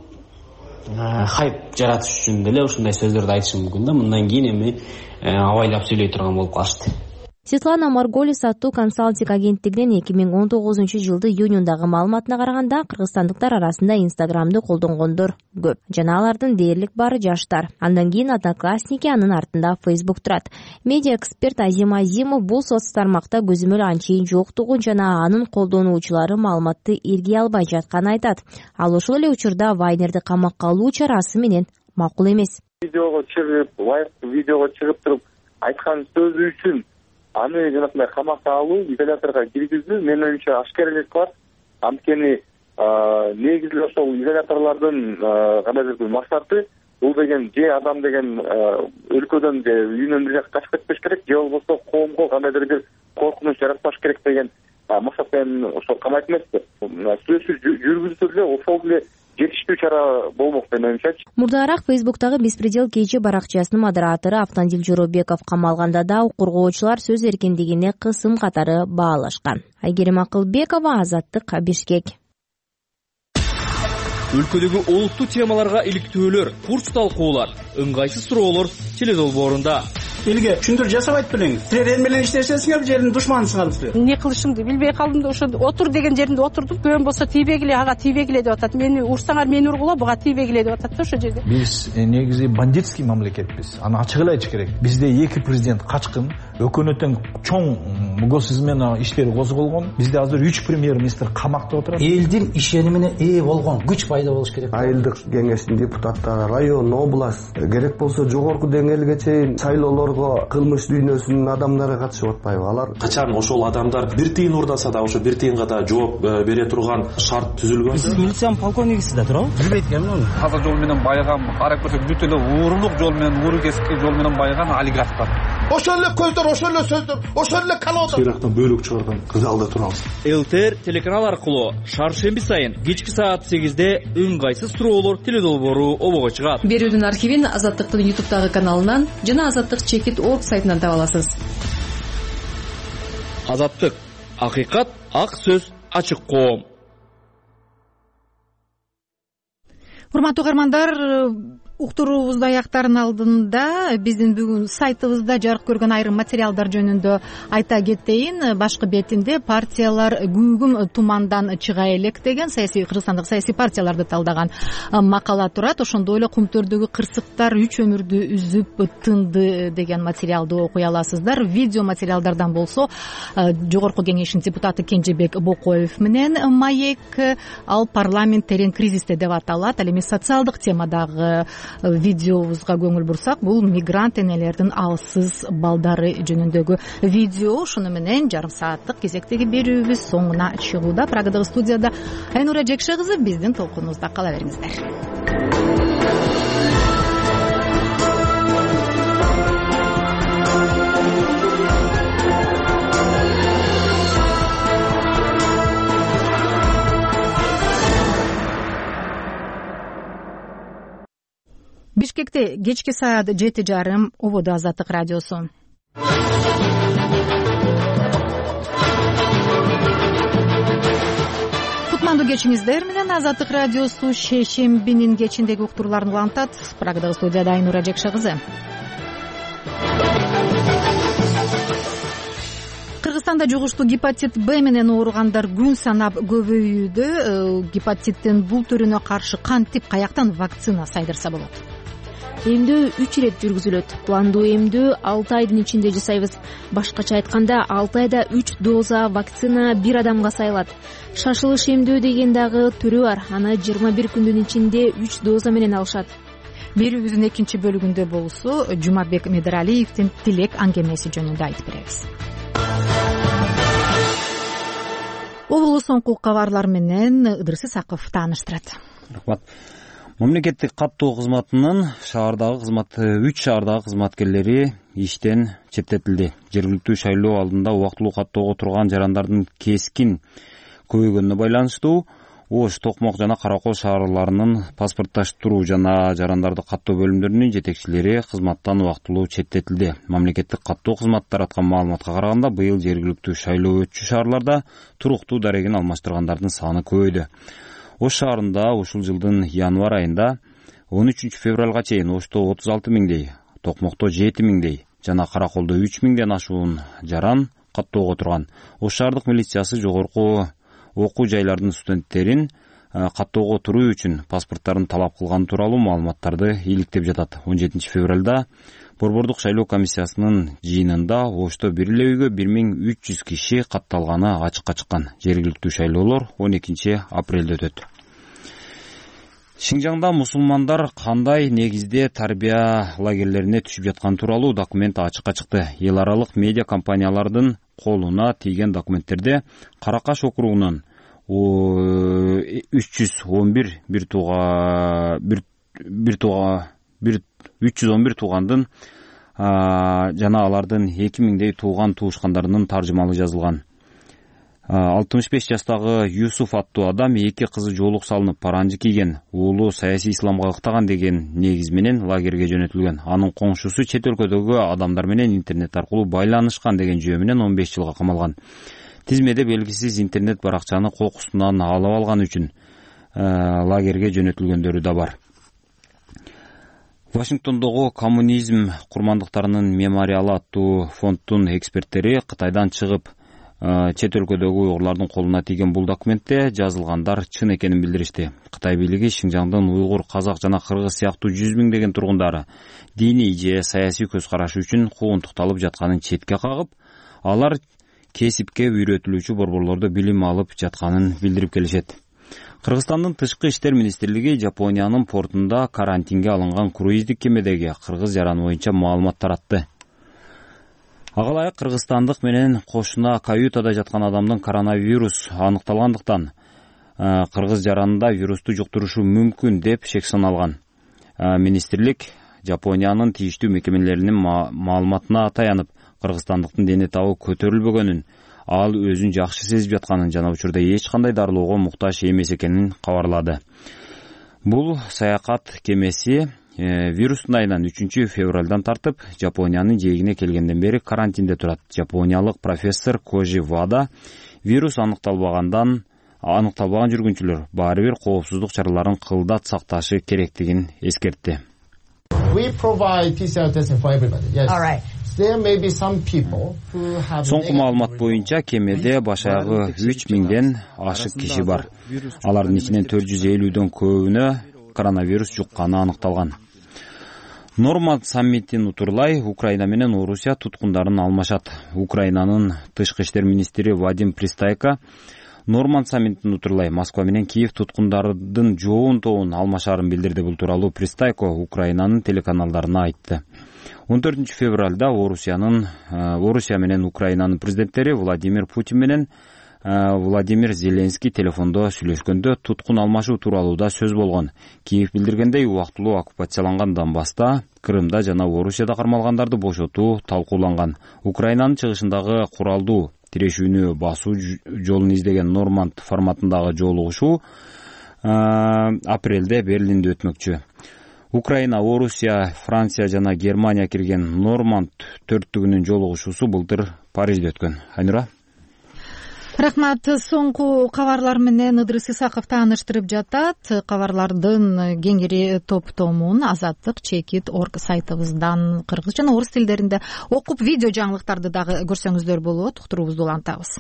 хайп жаратыш үчүн деле ушундай сөздөрдү айтышы мүмкүн да. Мындан кийин эми абайлап сүйлөй турган болуп калышты. Светлана Марголис аттуу консалтинг агенттигинин эки миң он тогузунчу жылды июнундагы маалыматына караганда кыргызстандыктар арасында Инстаграмды колдонгондор көп. Жана алардын дээрлик баары жаштар. Андан кийин Одноклассники, анын артында Facebook турат. Медиа эксперт Азим Азимов бул соц тармакта көзөмөл анчейин жоктугун жана анын колдонуучулары маалыматты эргей албай жатканын айтат. Ал ошол эле учурда Вайнерди камакка алуу чарасы менен макул эмес. Видеого чыгып, лайк видеого чыгып туруп айткан сөзү үчүн аны жанагындай камакка алуу, изоляторго киргизүү менин оюмча ашкерелик бар. Анткени негизи ошол изоляторлордун кандайдыр бир максаты бул деген же адам деген өлкөдөн же үйүнөн бир жакка качып кетпеш керек, же болбосо коомго кандайдыр бир коркунуч жаратпаш керек деген максат менен ошол камайт эмеспи. Сүйлөшүү жүргүзүлсө деле ошол деле жетиштүү чара болмок деп ойлойм. Мурдараак Фейсбуктагы Беспредел кечи баракчасынын модератору Автандил Жоробеков камалганда да коргоочулар сөз эркиндигине кысым катары баалашкан. Айгерим Акылбекова, Азаттык, Бишкек. Өлкөдөгү олуттуу темаларга иликтөөлөр, курч талкуулар, ыңгайсыз суроолор теледолбоорунда. Элге түшүндүрүү жасабайт белең. Силер эл менен иштешесиңер, жердин душманысыңар силер. Эмне кылышымды билбей калдым да ошо отур деген жеринде отурдум. Көөм болсо тийбегиле, ага тийбегиле деп атат. Мени урсаңар мени ургула, буга тийбегиле деп атат да ошо жерде. Биз негизи бандитский мамлекетпиз. Аны ачык эле айтыш керек. Бизде эки президент качкын, өкмөттүн чоң госизмена иштери козголгон. Бизде азыр үч премьер-министр камакта отурат. Элдин ишенимине ээ болгон күч пайда болуш керек. Айылдык кеңештин депутаттары, район, область, керек болсо жогорку деңгээлге чейин шайлоолорго кылмыш дүйнөсүнүн адамдары катышып атпайбы? Алар качан ошол адамдар бир тыйын урдаса да ошо бир тыйынга да жооп бере турган шарт түзүлгөн. Сиз милициянын полковнигисиз да туурабы? Билбейт экенмин аны. Таза жол менен байыган, карап көрсөк бүт эле уурулук жол менен, ууру кесипти жол менен байыган олигархтар. Ошол эле көздөр, ошол эле сөздөр, ошол эле калоодор. Ирактан бөлүк чыгарган залда турабыз. ЛТР телеканал аркылуу шаршемби сайын кечки саат сегизде ыңгайсыз суроолор теледолбоору обого чыгат. Берүүнүн архивин Азаттыктын ютубтагы каналынан жана Азаттык чекит точка орг сайтынан таба аласыз. Азаттык, акыйкат, ак сөз, ачык коом. Урматтуу угармандар, уктуруубузду аяктаардын алдында биздин бүгүн сайтыбызда жарык көргөн айрым материалдар жөнүндө айта кетейин. Башкы бетинде партиялар күүгүм тумандан чыга элек деген саясий кыргызстандык саясий партияларды талдаган макала турат. Ошондой эле кумтөрдөгү кырсыктар үч өмүрдү үзүп тынды деген материалды окуй аласыздар. Видео материалдардан болсо жогорку кеңештин депутаты Кенжебек Бокоев менен маек, ал парламент терең кризисте деп аталат. Ал эми социалдык темадагы видеобузга көңүл бурсак, бул мигрант энелердин алсыз балдары жөнүндөгү видео. Ушуну менен жарым сааттык кезектеги берүүбүз соңуна чыгууда. Прагадагы студияда Айнура Жекше кызы, биздин толкунубузда кала бериңиздер. Бишкекте кечки саат жети жарым. Ободо Азаттык радиосу. Кутмандуу кечиңиздер менен Азаттык радиосу шейшембинин кечиндеги уктурууларын улантат. Прагадагы студияда Айнура Жекше кызы. Кыргызстанда жугуштуу гепатит Б менен ооругандар күн санап көбөйүүдө. Гепатиттин бул түрүнө каршы кантип, каяктан вакцина сайдырса болот? Эмдөө үч ирет жүргүзүлөт. Пландуу эмдөө алты айдын ичинде жасайбыз. Башкача айтканда алты айда үч доза вакцина бир адамга сайылат. Шашылыш эмдөө деген дагы түрү бар. Аны жыйырма бир күндүн ичинде үч доза менен алышат. Берүүбүздүн экинчи бөлүгүндө болсо Жумабек Медералиевдин тилек аңгемеси жөнүндө айтып беребиз. Обулу соңку кабарлар менен Ыдырыс Исаков тааныштырат. Рахмат. Мамлекеттик каттоо кызматынын шаардагы кызмат үч шаардагы кызматкерлери иштен четтетилди. Жергиликтүү шайлоо алдында убактылуу каттоого турган жарандардын кескин көбөйгөнүнө байланыштуу Ош, Токмок жана Каракол шаарларынын паспортташтыруу жана жарандарды каттоо бөлүмдөрүнүн жетекчилери кызматтан убактылуу четтетилди. Мамлекеттик каттоо кызматы тараткан маалыматка караганда, быйыл жергиликтүү шайлоо өтчү шаарларда туруктуу дарегин алмаштыргандардын саны көбөйдү. Ош шаарында ушул жылдын январь айында он үчүнчү февралга чейин Ошто отуз алты миңдей, Токмокто жети миңдей жана Караколдо үч миңден ашуун жаран каттоого турган. Ош шаардык милициясы жогорку окуу жайлардын студенттерин каттоого туруу үчүн паспорттарын талап кылган тууралуу маалыматтарды иликтеп жатат. он жетинчи февралда Борбордук шайлоо комиссиясынын жыйынында Ошто бир эле үйгө бир миң үч жүз киши катталганы ачыкка чыккан. Жергиликтүү шайлоолор он экинчи апрелде өтөт. Шинжаңда мусулмандар кандай негизде тарбия лагерлерине түшүп жаткан тууралуу документ ачыкка чыкты. Эл аралык медиа компаниялардын колуна тийген документтерде Каракаш округунун үч жүз он бир бир тууга бир тууга үч жүз он бир туугандын жана алардын эки миңдей тууган туушкандарынын таржымалы жазылган. алтымыш беш жаштагы Юсуф аттуу адам эки кызы жоолук салынып паранжы кийген, уулу саясий исламга ыктаган деген негиз менен лагерге жөнөтүлгөн. Анын коңшусу чет өлкөдөгү адамдар менен интернет аркылуу байланышкан деген жөө менен он беш жылга камалган. Тизмеде белгисиз интернет баракчаны кокусунан алып алган үчүн лагерге жөнөтүлгөндөрү да бар. Вашингтондогу коммунизм курмандыктарынын мемориалы аттуу фонддун эксперттери Кытайдан чыгып чет өлкөдөгү уйгурлардын колуна тийген бул документте жазылгандар чын экенин билдиришти. Кытай бийлиги Шинжаңдын уйгур, казак жана кыргыз сыяктуу жүз миңдеген тургундары диний же саясий көз карашы үчүн куугунтукталып жатканын четке кагып, алар кесипке үйрөтүлүүчү борборлордо билим алып жатканын билдирип келишет. Кыргызстандын тышкы иштер министрлиги Жапониянын портунда карантинге алынган круиздик кемедеги кыргыз жараны боюнча маалымат таратты. Ага ылайык кыргызстандык менен кошуна каютада жаткан адамдын коронавирус аныкталгандыктан кыргыз жаранында вирусту жуктурушу мүмкүн деп шек саналган. Министрлик Жапониянын тийиштүү мекемелеринин маалыматына таянып, кыргызстандыктын дене табы көтөрүлбөгөнүн, ал өзүн жакшы сезип жатканын жана учурда эч кандай дарылоого муктаж эмес экенин кабарлады. Бул саякат кемеси вирустун айынан үчүнчү февралдан тартып Жапониянын жээгине келгенден бери карантинде турат. Жапониялык профессор Кожи Вада вирус аныкталбагандан аныкталбаган жүргүнчүлөр баары бир коопсуздук чараларын кылдат сакташы керектигин эскертти. Соңку маалымат боюнча кемеде баш аягы үч миңден ашык киши бар. Алардын ичинен төрт жүз элүүдөн көбүнө коронавирус жукканы аныкталган. Норманд саммитин утурлай Украина менен Орусия туткундарын алмашат. Украинанын тышкы иштер министри Вадим Пристайко Норманд саммитин утурлай Москва менен Киев туткундардын жоон тобун алмашарын билдирди. Бул тууралуу Пристайко Украинанын телеканалдарына айтты. он төртүнчү февралда Орусиянын Орусия менен Украинанын президенттери Владимир Путин менен Владимир Зеленский телефондо сүйлөшкөндө туткун алмашуу тууралуу да сөз болгон. Киев билдиргендей, убактылуу оккупацияланган Донбасста, Крымда жана Орусияда кармалгандарды бошотуу талкууланган. Украинанын чыгышындагы куралдуу тирешүүнү басуу жолун издеген Норманд форматындагы жолугушуу апрелде Берлинде өтмөкчү. Украина, Орусия, Франция жана Германия кирген Норманд төрттүгүнүн жолугушуусу былтыр Парижде өткөн. Айнура. Рахмат. Соңку кабарлар менен Ыдырыс Исаков тааныштырып жатат. Кабарлардын кеңири топтомун Азаттык чекит орг сайтыбыздан кыргыз жана орус тилдеринде окуп, видео жаңылыктарды дагы көрсөңүздөр болот. Уктуруубузду улантабыз.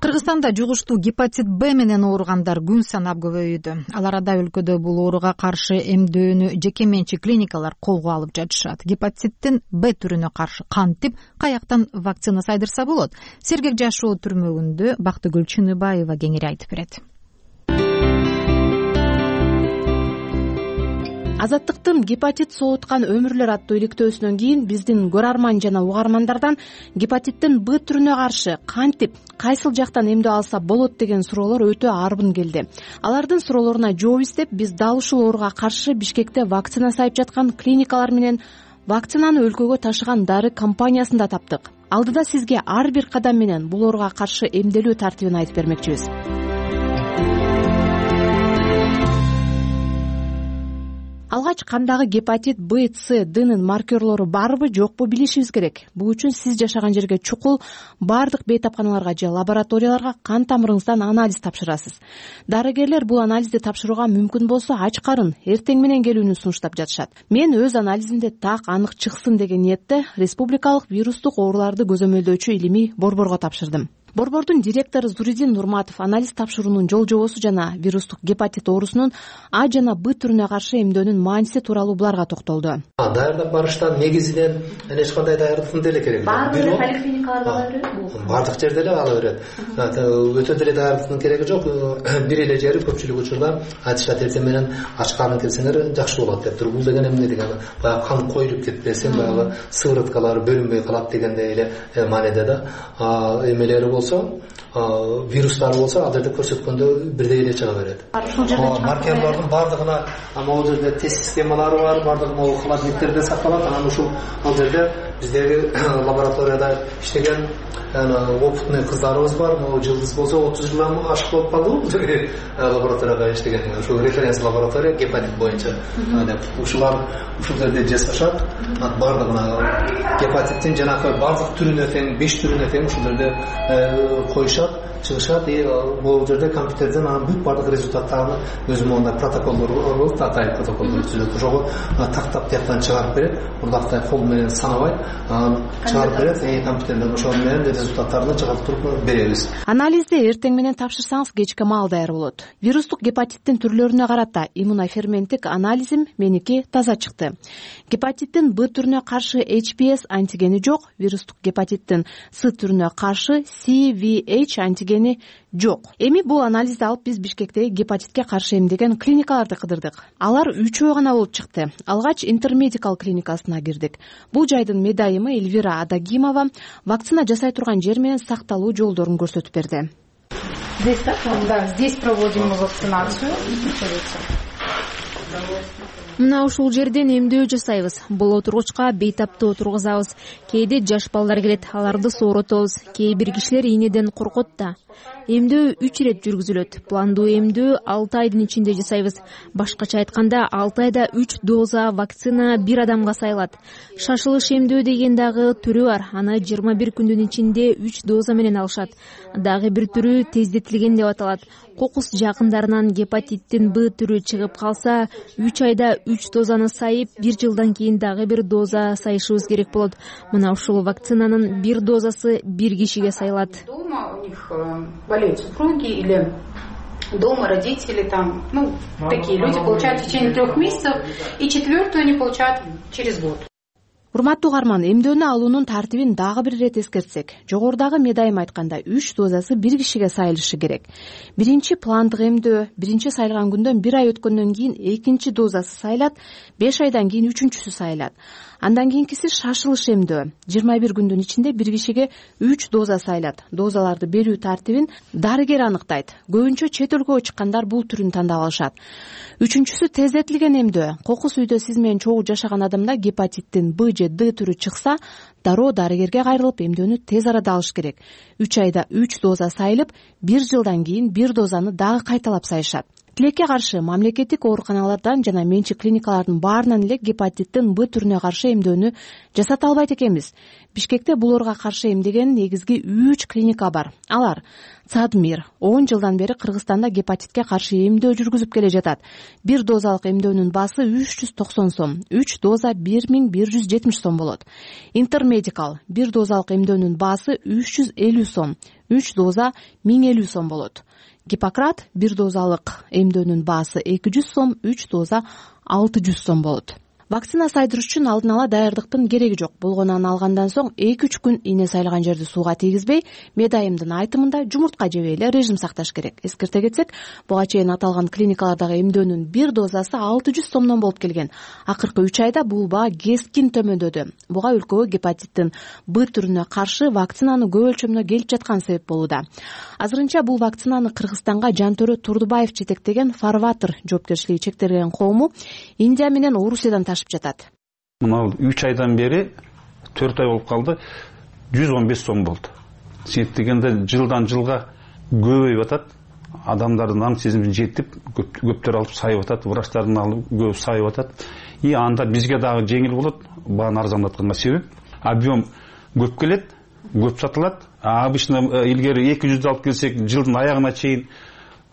Кыргызстанда жугуштуу гепатит Б менен ооругандар күн санап көбөйүүдө. Ал арада өлкөдө бул ооруга каршы эмдөөнү жеке менчик клиникалар колго алып жатышат. Гепатиттин Б түрүнө каршы кантип, каяктан вакцина сайдырса болот? Сергек жашоо түрмөгүндө Бактыгүл Чыныбаева кеңири айтып берет. Азаттыктын гепатит сооуткан өмүрлөр аттуу иликтөөсүнөн кийин биздин көрарман жана угармандардан гепатиттин Б түрүнө каршы кантип, кайсыл жактан эмдөө алса болот деген суроолор өтө арбын келди. Алардын суроолоруна жооп издеп, биз дал ушул ооруга каршы Бишкекте вакцина сайып жаткан клиникалар менен вакцинаны өлкөгө ташыган дары компаниясын да таптык. Алдыда сизге ар бир кадам менен бул ооруга каршы эмделүү тартибин айтып бермекчибиз. Алгач кандагы гепатит Б, С, Днын маркерлору барбы, жокпу билишибиз керек. Бул үчүн сиз жашаган жерге чукул бардык бейтапканаларга же лабораторияларга кан тамырыңыздан анализ тапшырасыз. Дарыгерлер бул анализди тапшырууга мүмкүн болсо ач карын эртең менен келүүнү сунуштап жатышат. Мен өз анализимде так анык чыксын деген ниетте республикалык вирустук ооруларды көзөмөлдөөчү илимий борборго тапшырдым. Борбордун директору Зуридин Нурматов анализ тапшыруунун жол жобосу жана вирустук гепатит оорусунун А жана Б түрүнө каршы эмдөөнүн мааниси тууралуу буларга токтолду. Даярдап барыштан негизинен эч кандай даярдыктын деле кереги жок. Баардык поликлиникаларда ала берет. Бардык жерде эле ала берет. Өтө деле даярдыктын кереги жок. Бир эле жери көпчүлүк учурда айтышат, эртең менен ач карын келсеңер жакшы болот деп туруп. Бул деген эмне деген? Баягы кан коюлуп кетпесин, баягы сывороткалары бөлүнбөй калат дегендей эле мааниде да. Эмелери болсо, вирустары болсо ал жерде көрсөткөндө бирдей эле чыга берет. Маркерлордун бардыгына могул жерде тест системалары бар, бардыгы могул холодильниктерде сакталат. Анан ушул ал жерде биздеги лабораторияда иштеген опытный кыздарыбыз бар. Могул жылдыз болсо отуз жылдан ашык болуп калды. Лабораторияда иштеген ушул референс лаборатория гепатит боюнча деп ушулар ушул жерде жасашат. Бардыгына гепатиттин жанагы бардык түрүнө тең, беш түрүнө тең ушул жерде коюшат, чыгышат. И бул жерде компьютерден анын бүт бардык результаттарын өзү моундай протоколдор болуп, татайып протоколдор түзүлөт. Ошого тактап тияктан чыгарып берет. Мындактай кол менен санабай чыгарып берет. И компьютерден ошол менен результаттарын чыгартып беребиз. Анализди эртең менен тапшырсаңыз кечке маал даяр болот. Вирустук гепатиттин түрлөрүнө карата иммуноферменттик анализим меники таза чыкты. Гепатиттин Б түрүнө каршы H P S антигени жок, вирустук гепатиттин С түрүнө каршы C V H антигени жок. Эми бул анализди алып биз Бишкектеги гепатитке каршы эмдеген клиникаларды кыдырдык. Алар үчөө гана болуп чыкты. Алгач Интермедикал клиникасына кирдик. Бул жайдын медайымы Эльвира Адагимова вакцина жасай турган жер менен сакталуу жолдорун көрсөтүп берди. Здесь, да, здесь проводим вакцинацию. Мына ушул жерден эмдөө жасайбыз. Бул отургучка бейтапты отургузабыз. Кээде жаш балдар келет, аларды сооротобуз. Кээ бир кишилер ийнеден коркот да. Эмдөө үч ирет жүргүзүлөт. Пландуу эмдөө алты айдын ичинде жасайбыз. Башкача айтканда алты айда үч доза вакцина бир адамга сайылат. Шашылыш эмдөө деген дагы түрү бар. Аны жыйырма бир күндүн ичинде үч доза менен алышат. Дагы бир түрү тездетилген деп аталат. Кокус жакындарынан гепатиттин Б түрү чыгып калса, үч айда үч дозаны сайып, бир жылдан кийин дагы бир доза сайышыбыз керек болот. Мына ушул вакцинанын бир дозасы бир кишиге сайылат. Дома у них болеют супруги или дома родители, там, ну, такие люди получают в течение трех месяцев, и четвертую они получают через год. Урматтуу угарман, эмдөөнү алуунун тартибин дагы бир ирет эскертсек, жогорудагы медайым айтканда үч дозасы бир кишиге сайылышы керек. Биринчи пландык эмдөө биринчи сайылган күндөн бир ай өткөндөн кийин экинчи дозасы сайылат, беш айдан кийин үчүнчүсү сайылат. Андан кийинкиси шашылыш эмдөө. жыйырма бир күндүн ичинде бир кишиге үч доза сайлат. Дозаларды берүү тартибин дарыгер аныктайт. Көбүнчө чет өлкөгө чыккандар бул түрүн тандап алышат. Үчүнчүсү тездетилген эмдөө. Кокус үйдө сиз менен чогуу жашаган адамда гепатиттин Б же Д түрү чыкса, дароо дарыгерге кайрылып эмдөөнү тез арада алыш керек. үч айда үч доза сайылып, бир жылдан кийин бир дозаны дагы кайталап сайышат. Тилекке каршы мамлекеттик ооруканалардан жана менчик клиникалардын баарынан эле гепатиттин Б түрүнө каршы эмдөөнү жасата албайт экенбиз. Бишкекте бул ооруга каршы эмдеген негизги үч клиника бар. Алар: Цадмир он жылдан бери Кыргызстанда гепатитке каршы эмдөө жүргүзүп келе жатат. Бир дозалык эмдөөнүн баасы үч жүз токсон сом, үч доза бир миң бир жүз жетимиш сом болот. Интермедикал бир дозалык эмдөөнүн баасы үч жүз элүү сом, үч доза миң элүү сом болот. Гиппократ бир дозалык эмдөөнүн баасы эки жүз сом, үч доза алты жүз сом болот. Вакцина сайдырыш үчүн алдын ала даярдыктын кереги жок. Болгонун алгандан соң эки үч күн ийне сайлаган жерди сууга тийгизбей, медайымдын айтымында жумуртка жебей эле режим сакташ керек. Эскерте кетсек, буга чейин аталган клиникалардагы эмдөөнүн бир дозасы алты жүз сомдон болуп келген. Акыркы үч айда бул баа кескин төмөндөдү. Буга өлкөгө гепатиттин Б түрүнө каршы вакцинаны көп өлчөмдө келип жаткан себеп болууда. Азырынча бул вакцинаны Кыргызстанга Жантөрө Турдубаев жетектеген Фарватер жоопкерчилиги чектелген коому Индия менен Орусиядан ташып жатат. Мына үч айдан бери төрт ай болуп калды, жүз он беш сом болду. Себеп дегенде жылдан жылга көбөйүп атат. Адамдардын аң сезими жетип, көптөр алып сайып атат, врачтардын алып көп сайып атат. И анда бизге дагы жеңил болот, бааны арзандатканга себеп. Объем көп келет, көп сатылат. Обычно илгери эки жүз алып келсек, жылдын аягына чейин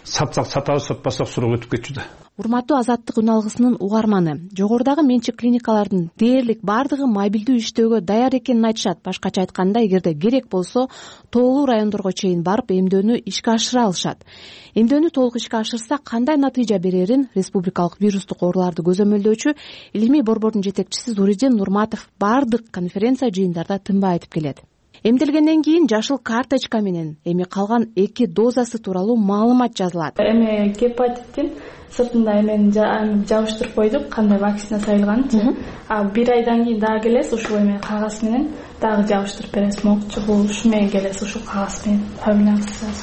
сатсак сатабыз, сатпасак суроо өтүп кетчү да. Урматтуу Азаттык үн алгысынын угарманы, жогорудагы менчик клиникалардын дээрлик бардыгы мобилдүү иштөөгө даяр экенин айтышат. Башкача айтканда, эгерде керек болсо, тоолуу райондорго чейин барып эмдөөнү ишке ашыра алышат. Эмдөөнү толук ишке ашырса кандай натыйжа берерин республикалык вирустук ооруларды көзөмөлдөөчү илимий борбордун жетекчиси Зуридин Нурматов бардык конференция жыйындарда тынбай айтып келет. Эмделгенден кийин жашыл карточка менен эми калган эки дозасы тууралуу маалымат жазылат. Эми гепатиттин сыртында эмен жабыштырып койдук, кандай вакцина сайылганын. А бир айдан кийин дагы келесиз, ушул эме кагаз менен дагы жабыштырып бересиз. Могчу бул ушу менен келесиз, ушул кагаз менен фамилияңызды.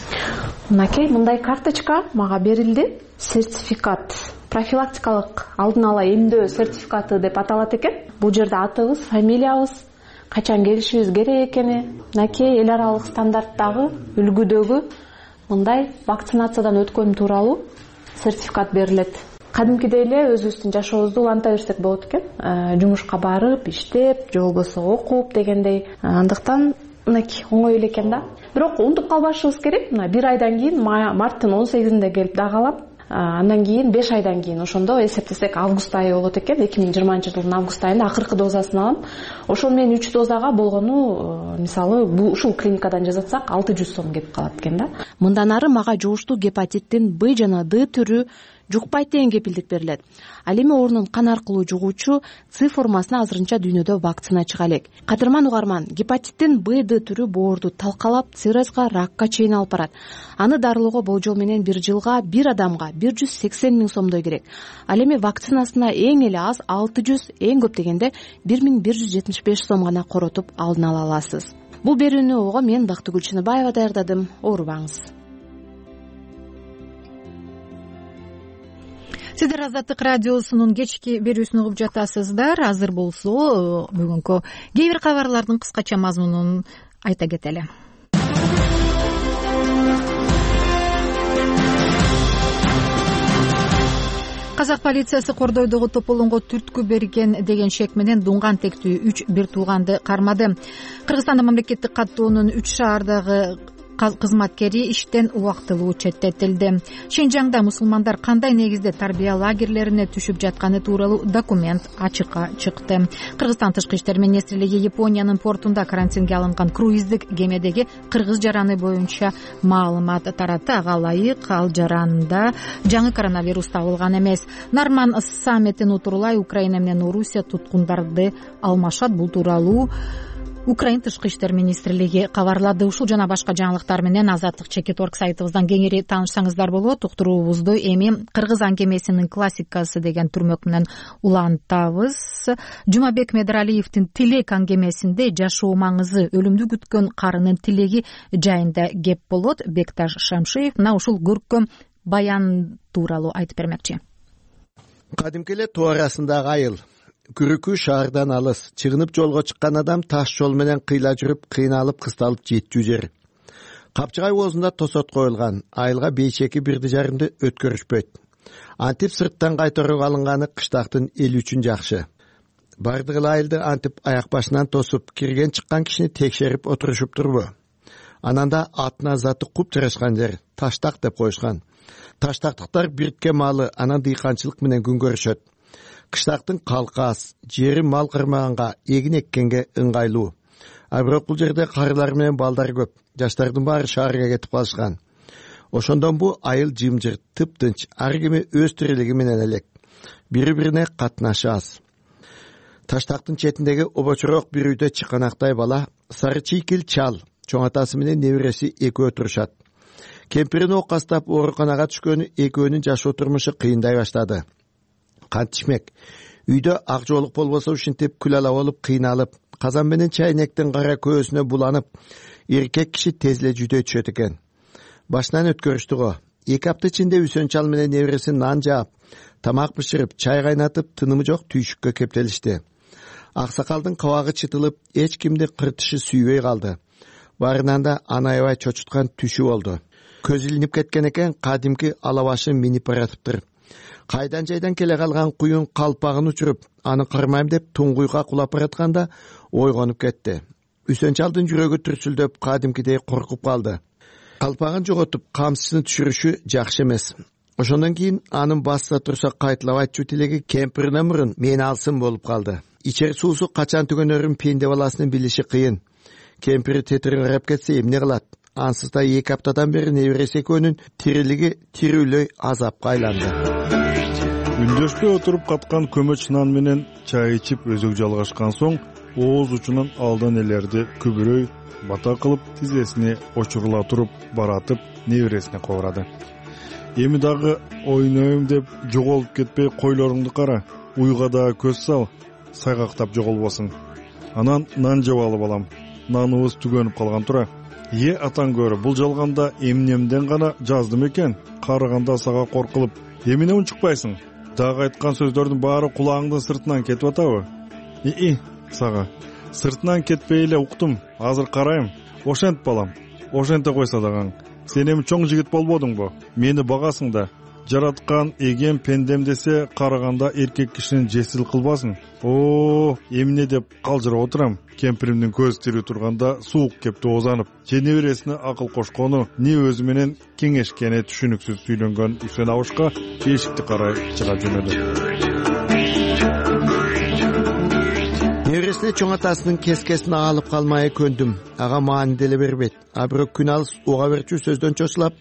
Мынакей мындай карточка мага берилди. Сертификат, профилактикалык алдын ала эмдөө сертификаты деп аталат экен. Бул жерде атыбыз, фамилиябыз, качан келишибиз керек экени, мынакей эл аралык стандарттагы үлгүдөгү мындай вакцинациядан өткөн тууралуу сертификат берилет. Кадимкидей эле өзүбүздүн жашообузду уланта берсек болот экен. Жумушка барып, иштеп, же болбосо окуп дегендей. Андыктан мынакей оңой эле экен да. Бирок унутуп калбашыбыз керек. Мына бир айдан кийин марттын он сегизинде келип дагы алам. Андан кийин беш айдан кийин ошондо эсептесек август айы болот экен. эки миң жыйырманчы жылдын август айында акыркы дозасын алам. Ошол менен үч дозага болгону, мисалы, бул ушул клиникадан жасатсак алты жүз сом кетип калат экен да. Мындан ары мага жугуштуу гепатиттин Б жана Д түрү жукпайт деген кепилдик берилет. Ал эми орнун кан аркылуу жугуучу С формасына азырынча дүйнөдө вакцина чыга элек. Кадырман угарман, гепатиттин Б Д түрү боорду талкалап, циррозго, ракка чейин алып барат. Аны дарылоого болжол менен бир жылга бир адамга бир жүз сексен миң сомдой керек. Ал эми вакцинасына эң эле аз алты жүз, эң көп дегенде бир миң бир жүз жетимиш беш сом гана коротуп алдын ала аласыз. Бул берүүнү ого мен Бактыгүл Чыныбаева даярдадым. Оорубаңыз. Сиздер Азаттык радиосунун кечки берүүсүн угуп жатасыздар. Азыр болсо бүгүнкү кээ бир кабарлардын кыскача мазмунун айта кетели. Казак полициясы Кордойдогу тополонго түрткү берген деген шек менен дуңган тектүү үч бир тууганды кармады. Кыргызстанда мамлекеттик каттоонун үч шаардагы кызматкери иштен убактылуу четтетилди. Шинжаңда мусулмандар кандай негизде тарбия лагерлерине түшүп жатканы тууралуу документ ачыкка чыкты. Кыргызстан Тышкы иштер министрлиги Япониянын портунда карантинге алынган круиздик кемедеги кыргыз жараны боюнча маалымат таратты. Ага ылайык ал жаранда жаңы коронавирус табылган эмес. Нарман саммитин утурулай Украина менен Орусия туткундарды алмашат. Бул тууралуу Украина тышкы иштер министрлиги кабарлады. Ушул жана башка жаңылыктар менен азаттык чекит точка орг сайтыбыздан кеңири таанышсаңыздар болот. Уктуруубузду эми кыргыз аңгемесинин классикасы деген түрмөк менен улантабыз. Жумабек Медералиевдин тилек аңгемесинде жашоо маңызы, өлүмдү күткөн карынын тилеги жайында кеп болот. Бекташ Шамшиев мына ушул көркөм баян тууралуу айтып бермекчи. Кадимки эле тоо арасындагы айыл, күрүкү шаардан алыс, чыгынып жолго чыккан адам таш жол менен кыйла жүрүп, кыйналып кысталып жетчү жер. Капчыгай оозунда тосот коюлган, айылга бейшеки бирди жарымды өткөрүшпөйт. Антип сырттан кайтарууга алынганы кыштактын эли үчүн жакшы. Бардык эле айылды антип аяк башынан тосуп, кирген чыккан кишини текшерип отурушуп турбу. Анан да атына заты куп жарашкан жер, таштак деп коюшкан. Таштактыктар биртке малы, анан дыйканчылык менен күн көрүшөт. Кыштактын калкы аз, жери мал кырмаганга, эгин эккенге ыңгайлуу. А бирок бул жерде карылар менен балдар көп. Жаштардын баары шаарга кетип калышкан. Ошондон бу айыл жымжырт, тыптынч, ар кими өз тирилиги менен элек. Бири-бирине катнашы аз. Таштактын четиндеги обочорок бир үйдө чыканактай бала, сары чийкил чал, чоң атасы менен небереси экөө турушат. Кемпирин окастап ооруканага түшкөнү экөөнүн жашоо турмушу кыйындай баштады. Кантишмек, үйдө ак жоолук болбосо ушинтип күл ала болуп кыйналып, казан менен чайнектин кара көзүнө буланып, эркек киши тез эле жүдөй түшөт экен. Башынан өткөрүштү го. Эки апта ичинде Үсөн чал менен небереси нан жаап, тамак бышырып, чай кайнатып, тынымы жок түйшүккө кептелишти. Аксакалдын кабагы чытылып, эч кимди кыртышы сүйбөй калды. Барынан да анайбай чочуткан түшү болду. Көз илинип кеткен экен, кадимки алабашы минип баратыптыр. Кайдан жайдан келе калган куюн калпагын учуруп, аны кырмайм деп туңгуйга кулап баратканда ойгонуп кетти. Үсөн чалдын жүрөгү түрсүлдөп, кадимкидей коркуп калды. Калпагын жоготуп, камсысын түшүрүшү жакшы эмес. Ошондон кийин анын басса турса кайтылап айтчу тилеги кемпирине мурун мени алсын болуп калды. Ичер суусу качан түгөнөрүн пенде баласынын билиши кыйын. Кемпири тетириң карап кетсе эмне кылат? Ансыз да эки аптадан бери небереси экөөнүн тирилиги тирүүлөй азапка айланды. Үндөшпөй отуруп каткан көмөч нан менен чай ичип өзөк жалгашкан соң, ооз учунан алдан элерди күбүрөй бата кылып, тизесине очурула туруп баратып, небересине кобурады. Эми дагы ойнойм деп жоголуп кетпей койлоруңду кара, уйга да көз сал, сайгактап жоголбосуң. Анан нан жеп алып алам. Наныбыз түгөнүп калган тура. Е атаң көрө, бул жалганда эмнемден гана жаздым экен, карыганда сага коркулуп. Эмне унчукпайсың? Дагы айткан сөздөрдүн баары кулагыңдын сыртынан кетип атабы? И-и, сага. Сыртынан кетпей эле уктум. Азыр карайм. Ошент балам. Ошенте койсо дагы. Сен эми чоң жигит болбодуңбу? Мени багасың да. Жараткан эген пендем десе, караганда эркек кишинин жесил кылбасын. О, эмне деп калжырап отурам. Кемпиримдин көзү тирүү турганда суук кепти озанып. Же небересине акыл кошкону, не өзү менен кеңешкени түшүнүксүз сүйлөнгөн Үсөн абышка эшикти карай чыга жөнөдү. Небересине чоң атасынын кескесин алып калмай көндүм. Ага маани деле бербейт. А бирок күн алыс уга берчү сөздөн чочулап,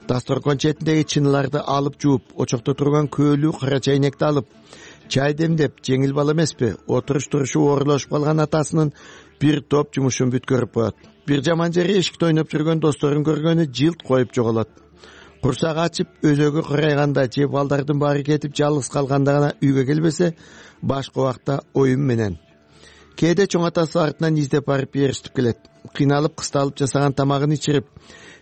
дасторкон четиндеги чыныларды алып жууп, очокто турган көөлүү кара чайнекти алып, чай демдеп, жеңил бала эмеспи, отуруш турушу оорулашып калган атасынын бир топ жумушун бүткөрүп коет. Бир жаман жери эшикте ойноп жүргөн досторун көргөнү жылт коюп жоголот. Курсагы ачып, өзөгү кырайганда же балдардын баары кетип жалгыз калганда гана үйгө келбесе, башка убакта оюн менен. Кээде чоң атасы артынан издеп барып ээрчитип келет. Кыйналып кысталып жасаган тамагын ичирип,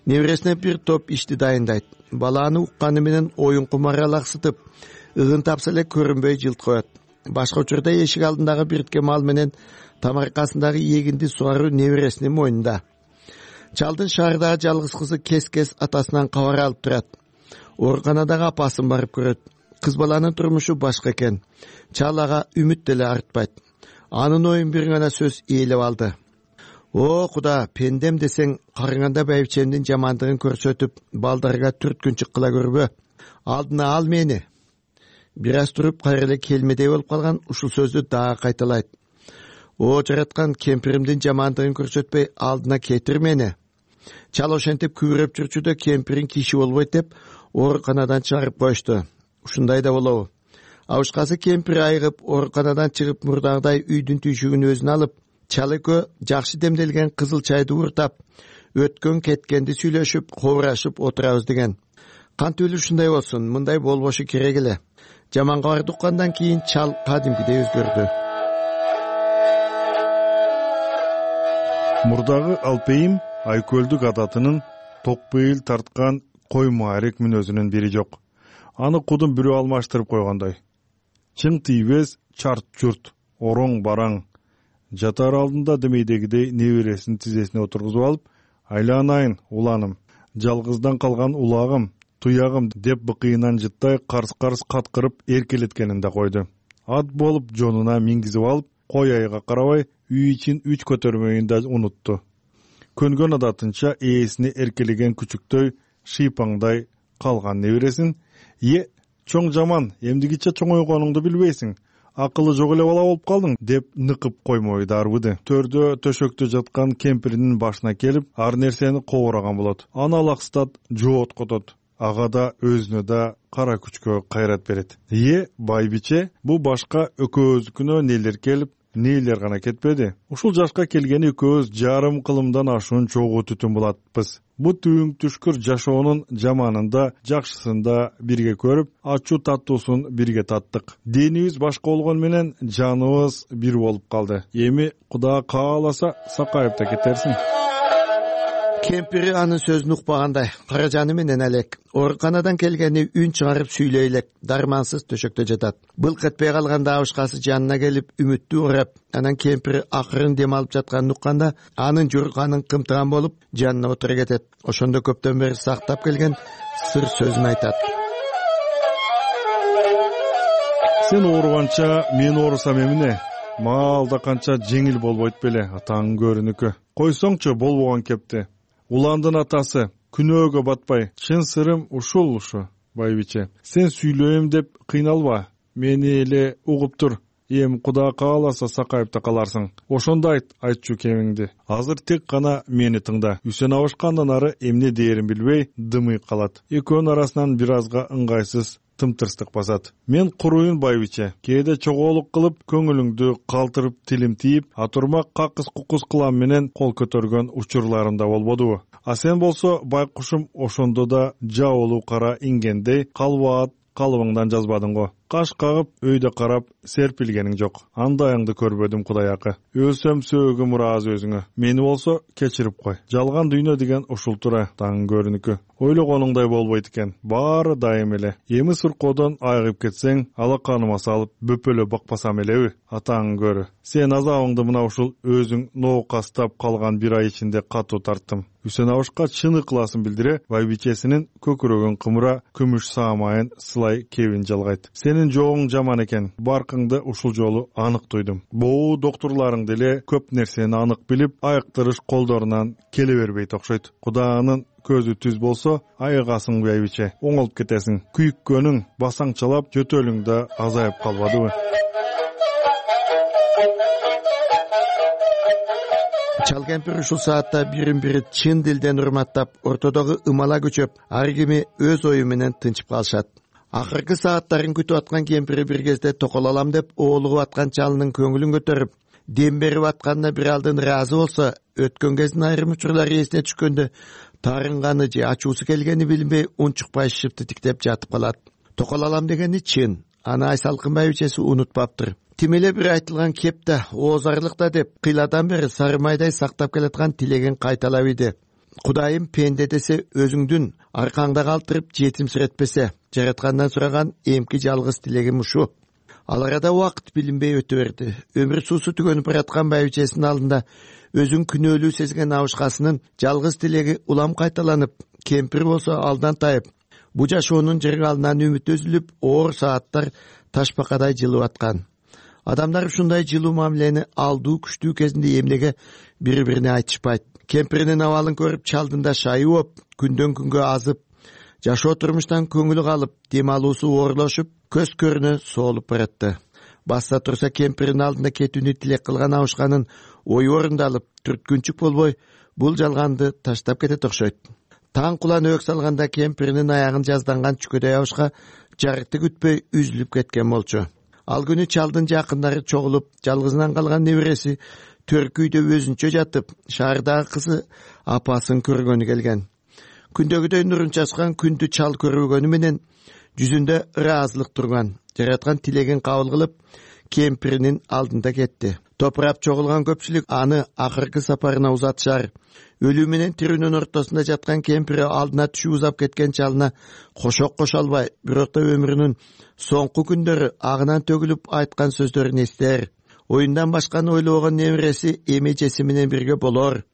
небересине бир топ ишти дайындайт. Баланы укканы менен оюн кумары алаксытып, ыгын тапса эле көрүнбөй жылт коет. Башка учурда эшик алдындагы биртке мал менен тамаркасындагы эгинди сугаруу небересинин мойнунда. Чалдын шаардагы жалгыз кызы кес-кес атасынан кабар алып турат. Ооруканадагы апасын барып көрөт. Кыз баланын турмушу башка экен. Чал ага үмүт деле артпайт. Анын оюн бир гана сөз ээлеп алды. О, Куда, пендем десең, карыганда байбичемдин жамандыгын көрсөтүп, балдарга түрткүн чыккыла көрбө. Алдына ал мени. Бир аз туруп, кайра эле келмедей болуп калган ушул сөздү дагы кайталайт. О, жараткан, кемпиримдин жамандыгын көрсөтпөй, алдына кетир мени. Чал ошентип күбүрөп жүрчү да кемпирин киши болбойт деп, ооруканадан чыгарып коюшту. Ушундай да болобу? Абышкасы кемпир айыгып, ооруканадан чыгып, мурдагыдай үйдүн түйшүгүн өзүнө алып, Чал экөө жакшы демделген кызыл чайды уртап, өткөн кеткенди сүйлөшүп, хобурашып отурабыз деген. Кантип эле ушундай болсун, мындай болбошу керек эле. Жаманга барды уккандан кийин чал кадимкидей өзгөрдү. Мурдагы алпейим айкөлдүк адатынын токпейил тарткан кой маарек мүнөзүнүн бири жок. Аны кудум бирөө алмаштырып койгондой. Чың тийбес чарт журт, ороң бараң. Жатар алдында демейдегидей небересин тизесине отургузуп алып, айланайын уланым, жалгыздан калган улагым, туягым деп быкыйынан жыттай карс-карс каткырып эркелеткенин да койду. Ат болуп жонуна мингизип алып, кой айга карабай үй ичин үч көтөрмөйүн да унутту. Көнгөн адатынча ээсине эркелеген күчүктөй шыйпаңдай калган небересин: "Е, чоң жаман, эмдигиче чоңойгонуңду билбейсиң, акылы жок эле бала болуп калдың" деп ныкып коймой дарбыды. Төрдө төшөктө жаткан кемпиринин башына келип, ар нерсени кобураган болот. Аны алаксытат, жооткотот. Ага да өзүнө да кара күчкө кайрат берет. "Е, байбиче, бу башка экөөбүздүкүнө нелер келип, нээлер гана кетпеди. Ушул жашка келгени экөөбүз жарым кылымдан ашуун чогуу түтүн булатпыз. Бу түйүң түшкүр жашоонун жаманында, жакшысында бирге көрүп, ачуу таттуусун бирге таттык. Денибиз башка болгон менен жаныбыз бир болуп калды. Эми Кудай кааласа сакайып да кетерсиң." Кемпири анын сөзүн укпагандай, каражаны менен элек ооруканадан келгени үн чыгарып сүйлөй элек дармансыз төшөктө жатат. Былк этпей калганда абышкасы жанына келип үмүттүү урап, анан кемпири акырын дем алып жатканын укканда анын журканын кымтыган болуп жанына отура кетет. Ошондо көптөн бери сактап келген сыр сөзүн айтат. "Сен ооруганча мен оорусам эмне? Маал да канча жеңил болбойт беле, атаң көрүнүкү. Койсоңчу болбогон кепти. Уландын атасы күнөөгө батпай, чын сырым ушул ушу, байбиче. Сен сүйлөйм деп кыйналба, мени эле угуп тур. Эми Кудай кааласа сакайып да каларсың. Ошондо айт, айтчу кемиңди. Азыр тек гана мени тыңда." Үсен абышкандан ары эмне дээрин билбей дымый калат. Экөөнүн арасынан бир азга ыңгайсыз тымтырстык басат. "Мен куруйун байбиче, кээде чогоолук кылып, көңүлүңдү калтырып тилим тийип, атурмак какыс кукус кылам менен кол көтөргөн учурларым да болбодубу? А сен болсо байкушум ошондо да жабылуу кара ингендей калбаат калыбыңдан жазбадың го. Каш кагып, өйдө карап серпилгениң жок. Андайыңды көрбөдүм Кудай акы. Өлсөм сөөгүм ыраазы өзүңө. Мени болсо кечирип кой. Жалган дүйнө деген ушул тура, таң көрүнүкү. Ойлогонуңдай болбойт экен. Баары дайым эле. Эми суркоодон айыгып кетсең, алаканыма салып бөпөлө бакпасам элеби? Атаң көрү. Сен азабыңды мына ушул өзүң ноокастап калган бир ай ичинде катуу тарттым." Үсен абышка чын ыкласын билдире, байбичесинин көкүрөгүн кымыра күмүш саамайын сылай кебин жалгайт. "Сенин жогуң жаман экен. Баркыңды ушул жолу анык туйдум. Боо доктурларың деле көп нерсени анык билип, айыктырыш колдорунан келе бербейт окшойт. Кудайнын көзү түз болсо, айыгасың байбиче, оңолуп кетесиң. Күйүккөнүң басаңчалап, жөтөлүң да азайып калбадыбы?" Чал кемпир ушул саатта бирин бири чын дилден урматтап, ортодогу ымала күчөп, ар кими өз ою менен тынчып калышат. Акыркы сааттарын күтүп аткан кемпири бир кезде токол алам деп оолугуп аткан чалынын көңүлүн көтөрүп, дем берип атканына бир алдын ыраазы болсо, өткөн кездин айрым учурлары эсине түшкөндө таарынганы же ачуусу келгени билинбей унчукпай шыпты тиктеп жатып калат. Токол алам дегени чын, аны Айсалкын байбичеси унутпаптыр. Тим эле бир айтылган кеп да, оозарлык да деп кыйладан бери сары майдай сактап келаткан тилегин кайталап иди. "Кудайым пенде десе өзүңдүн аркаңда калтырып жетимсиретпесе, жараткандан сураган эмки жалгыз тилегим ушу." Ал арада убакыт билинбей өтө берди. Өмүр суусу түгөнүп бараткан байбичесинин алдында өзүн күнөөлүү сезген абышкасынын жалгыз тилеги улам кайталанып, кемпир болсо алдан тайып, бу жашоонун жыргалынан үмүт үзүлүп, оор сааттар ташбакадай жылып аткан. Адамдар ушундай жылуу мамилени алдуу күчтүү кезинде эмнеге бири-бирине айтышпайт? Кемпиринин абалын көрүп, чалдын да шайы болуп, күндөн күнгө азып, жашоо турмуштан көңүлү калып, дем алуусу оорлошуп, көз көрүнө соолуп баратты. Басса турса кемпиринин алдында кетүүнү тилек кылган абышканын ою орундалып, түрткүнчүк болбой, бул жалганды таштап кетет окшойт. Таң кулан өк салганда кемпиринин аягын жазданган чүкөдөй абышка жарыкты күтпөй үзүлүп кеткен болчу. Ал күнү чалдын жакындары чогулуп, жалгызынан калган небереси төркүйдө өзүнчө жатып шаардагы кызы апасын көргөнү келген. Күндөгүдөй нурун чачкан күндү чал көрбөгөнү менен жүзүндө ыраазылык турган. Жараткан тилегин кабыл кылып кемпиринин алдында кетти. Топурап чогулган көпчүлүк аны акыркы сапарына узатышар. Өлүү менен тирүүнүн ортосунда жаткан кемпири алдына түшүп узап кеткен чалына кошок кошо албай, бирок да өмүрүнүн соңку күндөрү агынан төгүлүп айткан сөздөрүн эстер. Оюндан башканы ойлобогон немереси эме-жеси менен бирге болор.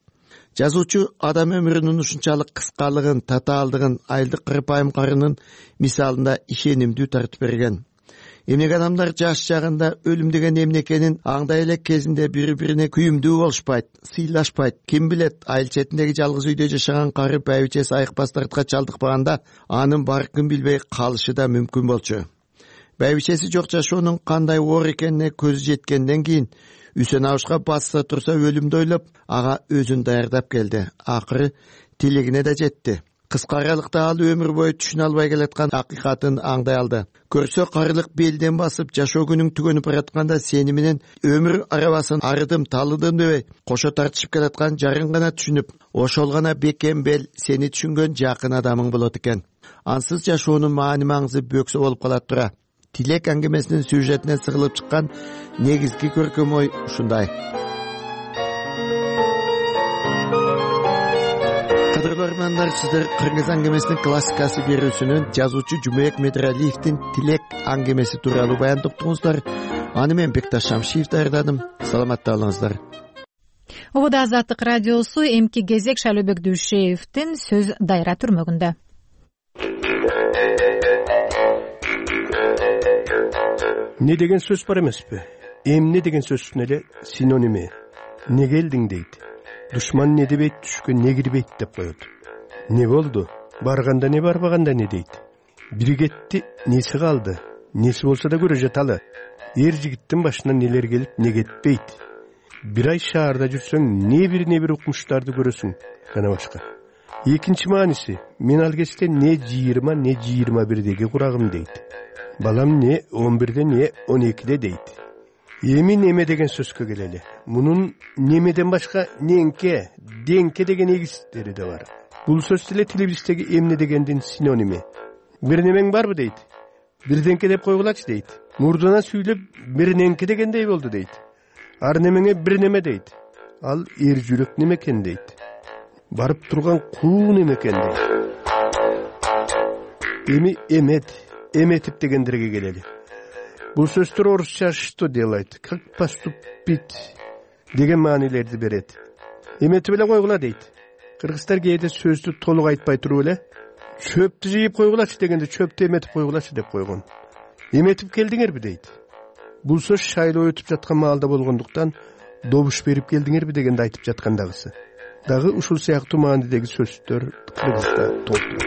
Жазуучу адам өмүрүнүн ушунчалык кыскалыгын, татаалдыгын айылдык кырпайым карынын мисалында ишенимдүү тартып берген. Эмнеге адамдар жаш чагында өлүм деген эмне экенин аңдай элек кезинде бири-бирине күйүмдүү болушпайт, сыйлашпайт. Ким билет, айыл четиндеги жалгыз үйдө жашаган кары байбичеси айыкпас дартка чалдыкпаганда анын баркын билбей калышы да мүмкүн болчу. Байбичеси жок жашоонун кандай оор экенине көзү жеткенден кийин Үсен абышка басса турса өлүмдү ойлоп, ага өзүн даярдап келди. Акыры тилегине да жетти. Кыска аралыкта ал өмүр бою түшүнө албай келаткан акыйкатын аңдай алды. Көрсө карылык белден басып, жашоо күнүң түгөнүп баратканда сени менен өмүр арабасын арыдым, талыдым дебей, кошо тартышып келаткан жарың гана түшүнүп, ошол гана бекем бел сени түшүнгөн жакын адамың болот экен. Ансыз жашоонун маани маңызы бөксө болуп калат тура. Тилек аңгемесинин сюжетинен сыгылып чыккан негизги көркөм ой ушундай. Кадырлуу армандар, сиздер Кыргыз аңгемесинин классикасы берүүсүнүн жазуучу Жумабек Медералиевдин Тилек аңгемеси тууралуу баян топтуңуздар. Аны мен Бекташ Шамшиев даярдадым. Саламатта болуңуздар. Ободо Азаттык радиосу эмки кезек Шайлообек Дүйшеевдин сөз дайра түрмөгүндө. Не деген сөз бар эмеспи? Эмне деген сөздүн эле синоними. Не келдиң дейт. Душман не дебейт, түшкө не кирбейт деп коет. Не болду? Барганда не, барбаганда не дейт. Бири кетти, неси калды? Неси болсо да көрө жаталы. Эр жигиттин башына нелер келип, не кетпейт. Бир ай шаарда жүрсөң, не бир не бир укмуштарды көрөсүң. Жана башка. Экинчи мааниси, мен ал кезде не жыйырма, не жыйырма бирдеги курагым дейт. Балам не он бирде, не он экиде дейт. Эми неме деген сөзгө келели. Мунун немеден башка неңке, деңке деген эгистери да бар. Бул сөз деле тилибиздеги эмне дегендин синоними. Бир немең барбы дейт. Бир деңке деп койгулачы дейт. Мурдуна сүйлөп бир неңке дегендей болду дейт. Ар немеңе бир неме дейт. Ал эр жүрөк неме экен дейт. Барып турган куу неме экен дейт. Эми эмет, эметип дегендерге келели. Бул сөздөр орусча что делать, как поступить деген маанилерди берет. Эметип эле койгула дейт. Кыргыздар кээде сөздү толук айтпай туруп эле чөптү жыйып койгулачы дегенде чөптү эметип койгулачы деп койгон. Эметип келдиңерби дейт. Бул сөз шайлоо өтүп жаткан маалда болгондуктан добуш берип келдиңерби дегенде айтып жаткандагысы. Дагы ушул сыяктуу маанидеги сөздөр кыргызда толтура.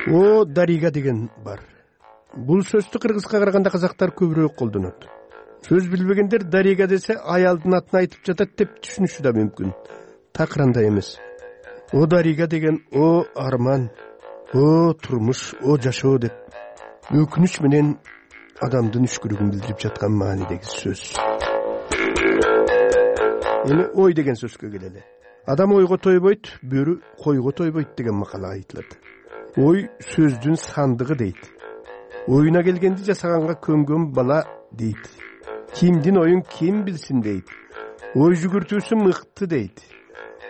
О, дарига деген бар. Бул сөздү кыргызга караганда казактар көбүрөөк колдонот. Сөз билбегендер дарига десе аялдын атын айтып жатат деп түшүнүшү да мүмкүн. Такыранда эмес. О дарига деген о арман, о турмуш, о жашоо деп өкүнүч менен адамдын үшкүрүгүн билдирип жаткан маанидеги сөз. Эми ой деген сөзгө келели. Адам ойго тойбойт, бөрү койго тойбойт деген макала айтылат. Ой сөздүн сандыгы дейт. Оюна келгенди жасаганга көнгөн бала дейт. Кимдин оюн ким билсин дейт. Ой жүгүртүүсү мыкты дейт.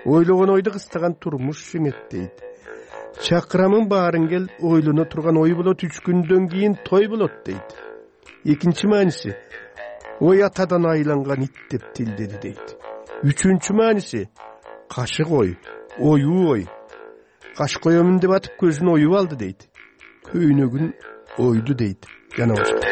Ойлогон ойду кыстаган турмуш жеңет дейт. Чакырамын баарын кел, ойлоно турган ой болот, үч күндөн кийин той болот дейт. Экинчи мааниси, ой атадан айланган ит деп тилдеди дейт. Үчүнчү мааниси, кашык ой, оюу ой. Каш коёмун деп атып көзүн оюп алды дейт. Көйнөгүн ойду дейт. Жана башка.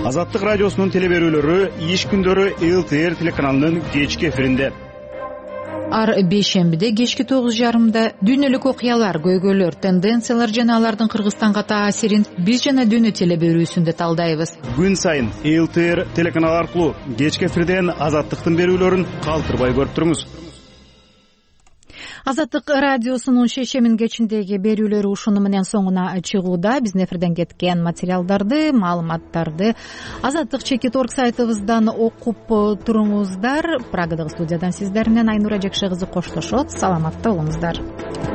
Азаттык радиосунун телеберүүлөрү иш күндөрү эл тэ эр телеканалынын кечки эфиринде. Ар бейшембиде кечки тогуз жарымда дүйнөлүк окуялар, көйгөйлөр, тенденциялар жана алардын Кыргызстанга таасирин биз жана дүйнө телеберүүсүндө талдайбыз. Күн сайын эл тэ эр телеканалы аркылуу кечки эфирден Азаттыктын берүүлөрүн калтырбай көрүп туруңуз. Азаттык радиосунун шейшемин кечиндеги берүүлөрү ушуну менен соңуна чыгууда. Биздин эфирден кеткен материалдарды, маалыматтарды азаттык чекит орг сайтыбыздан окуп туруңуздар. Прагадагы студиядан сиздер менен Айнура Жакшы кызы коштошот. Саламатта болуңуздар.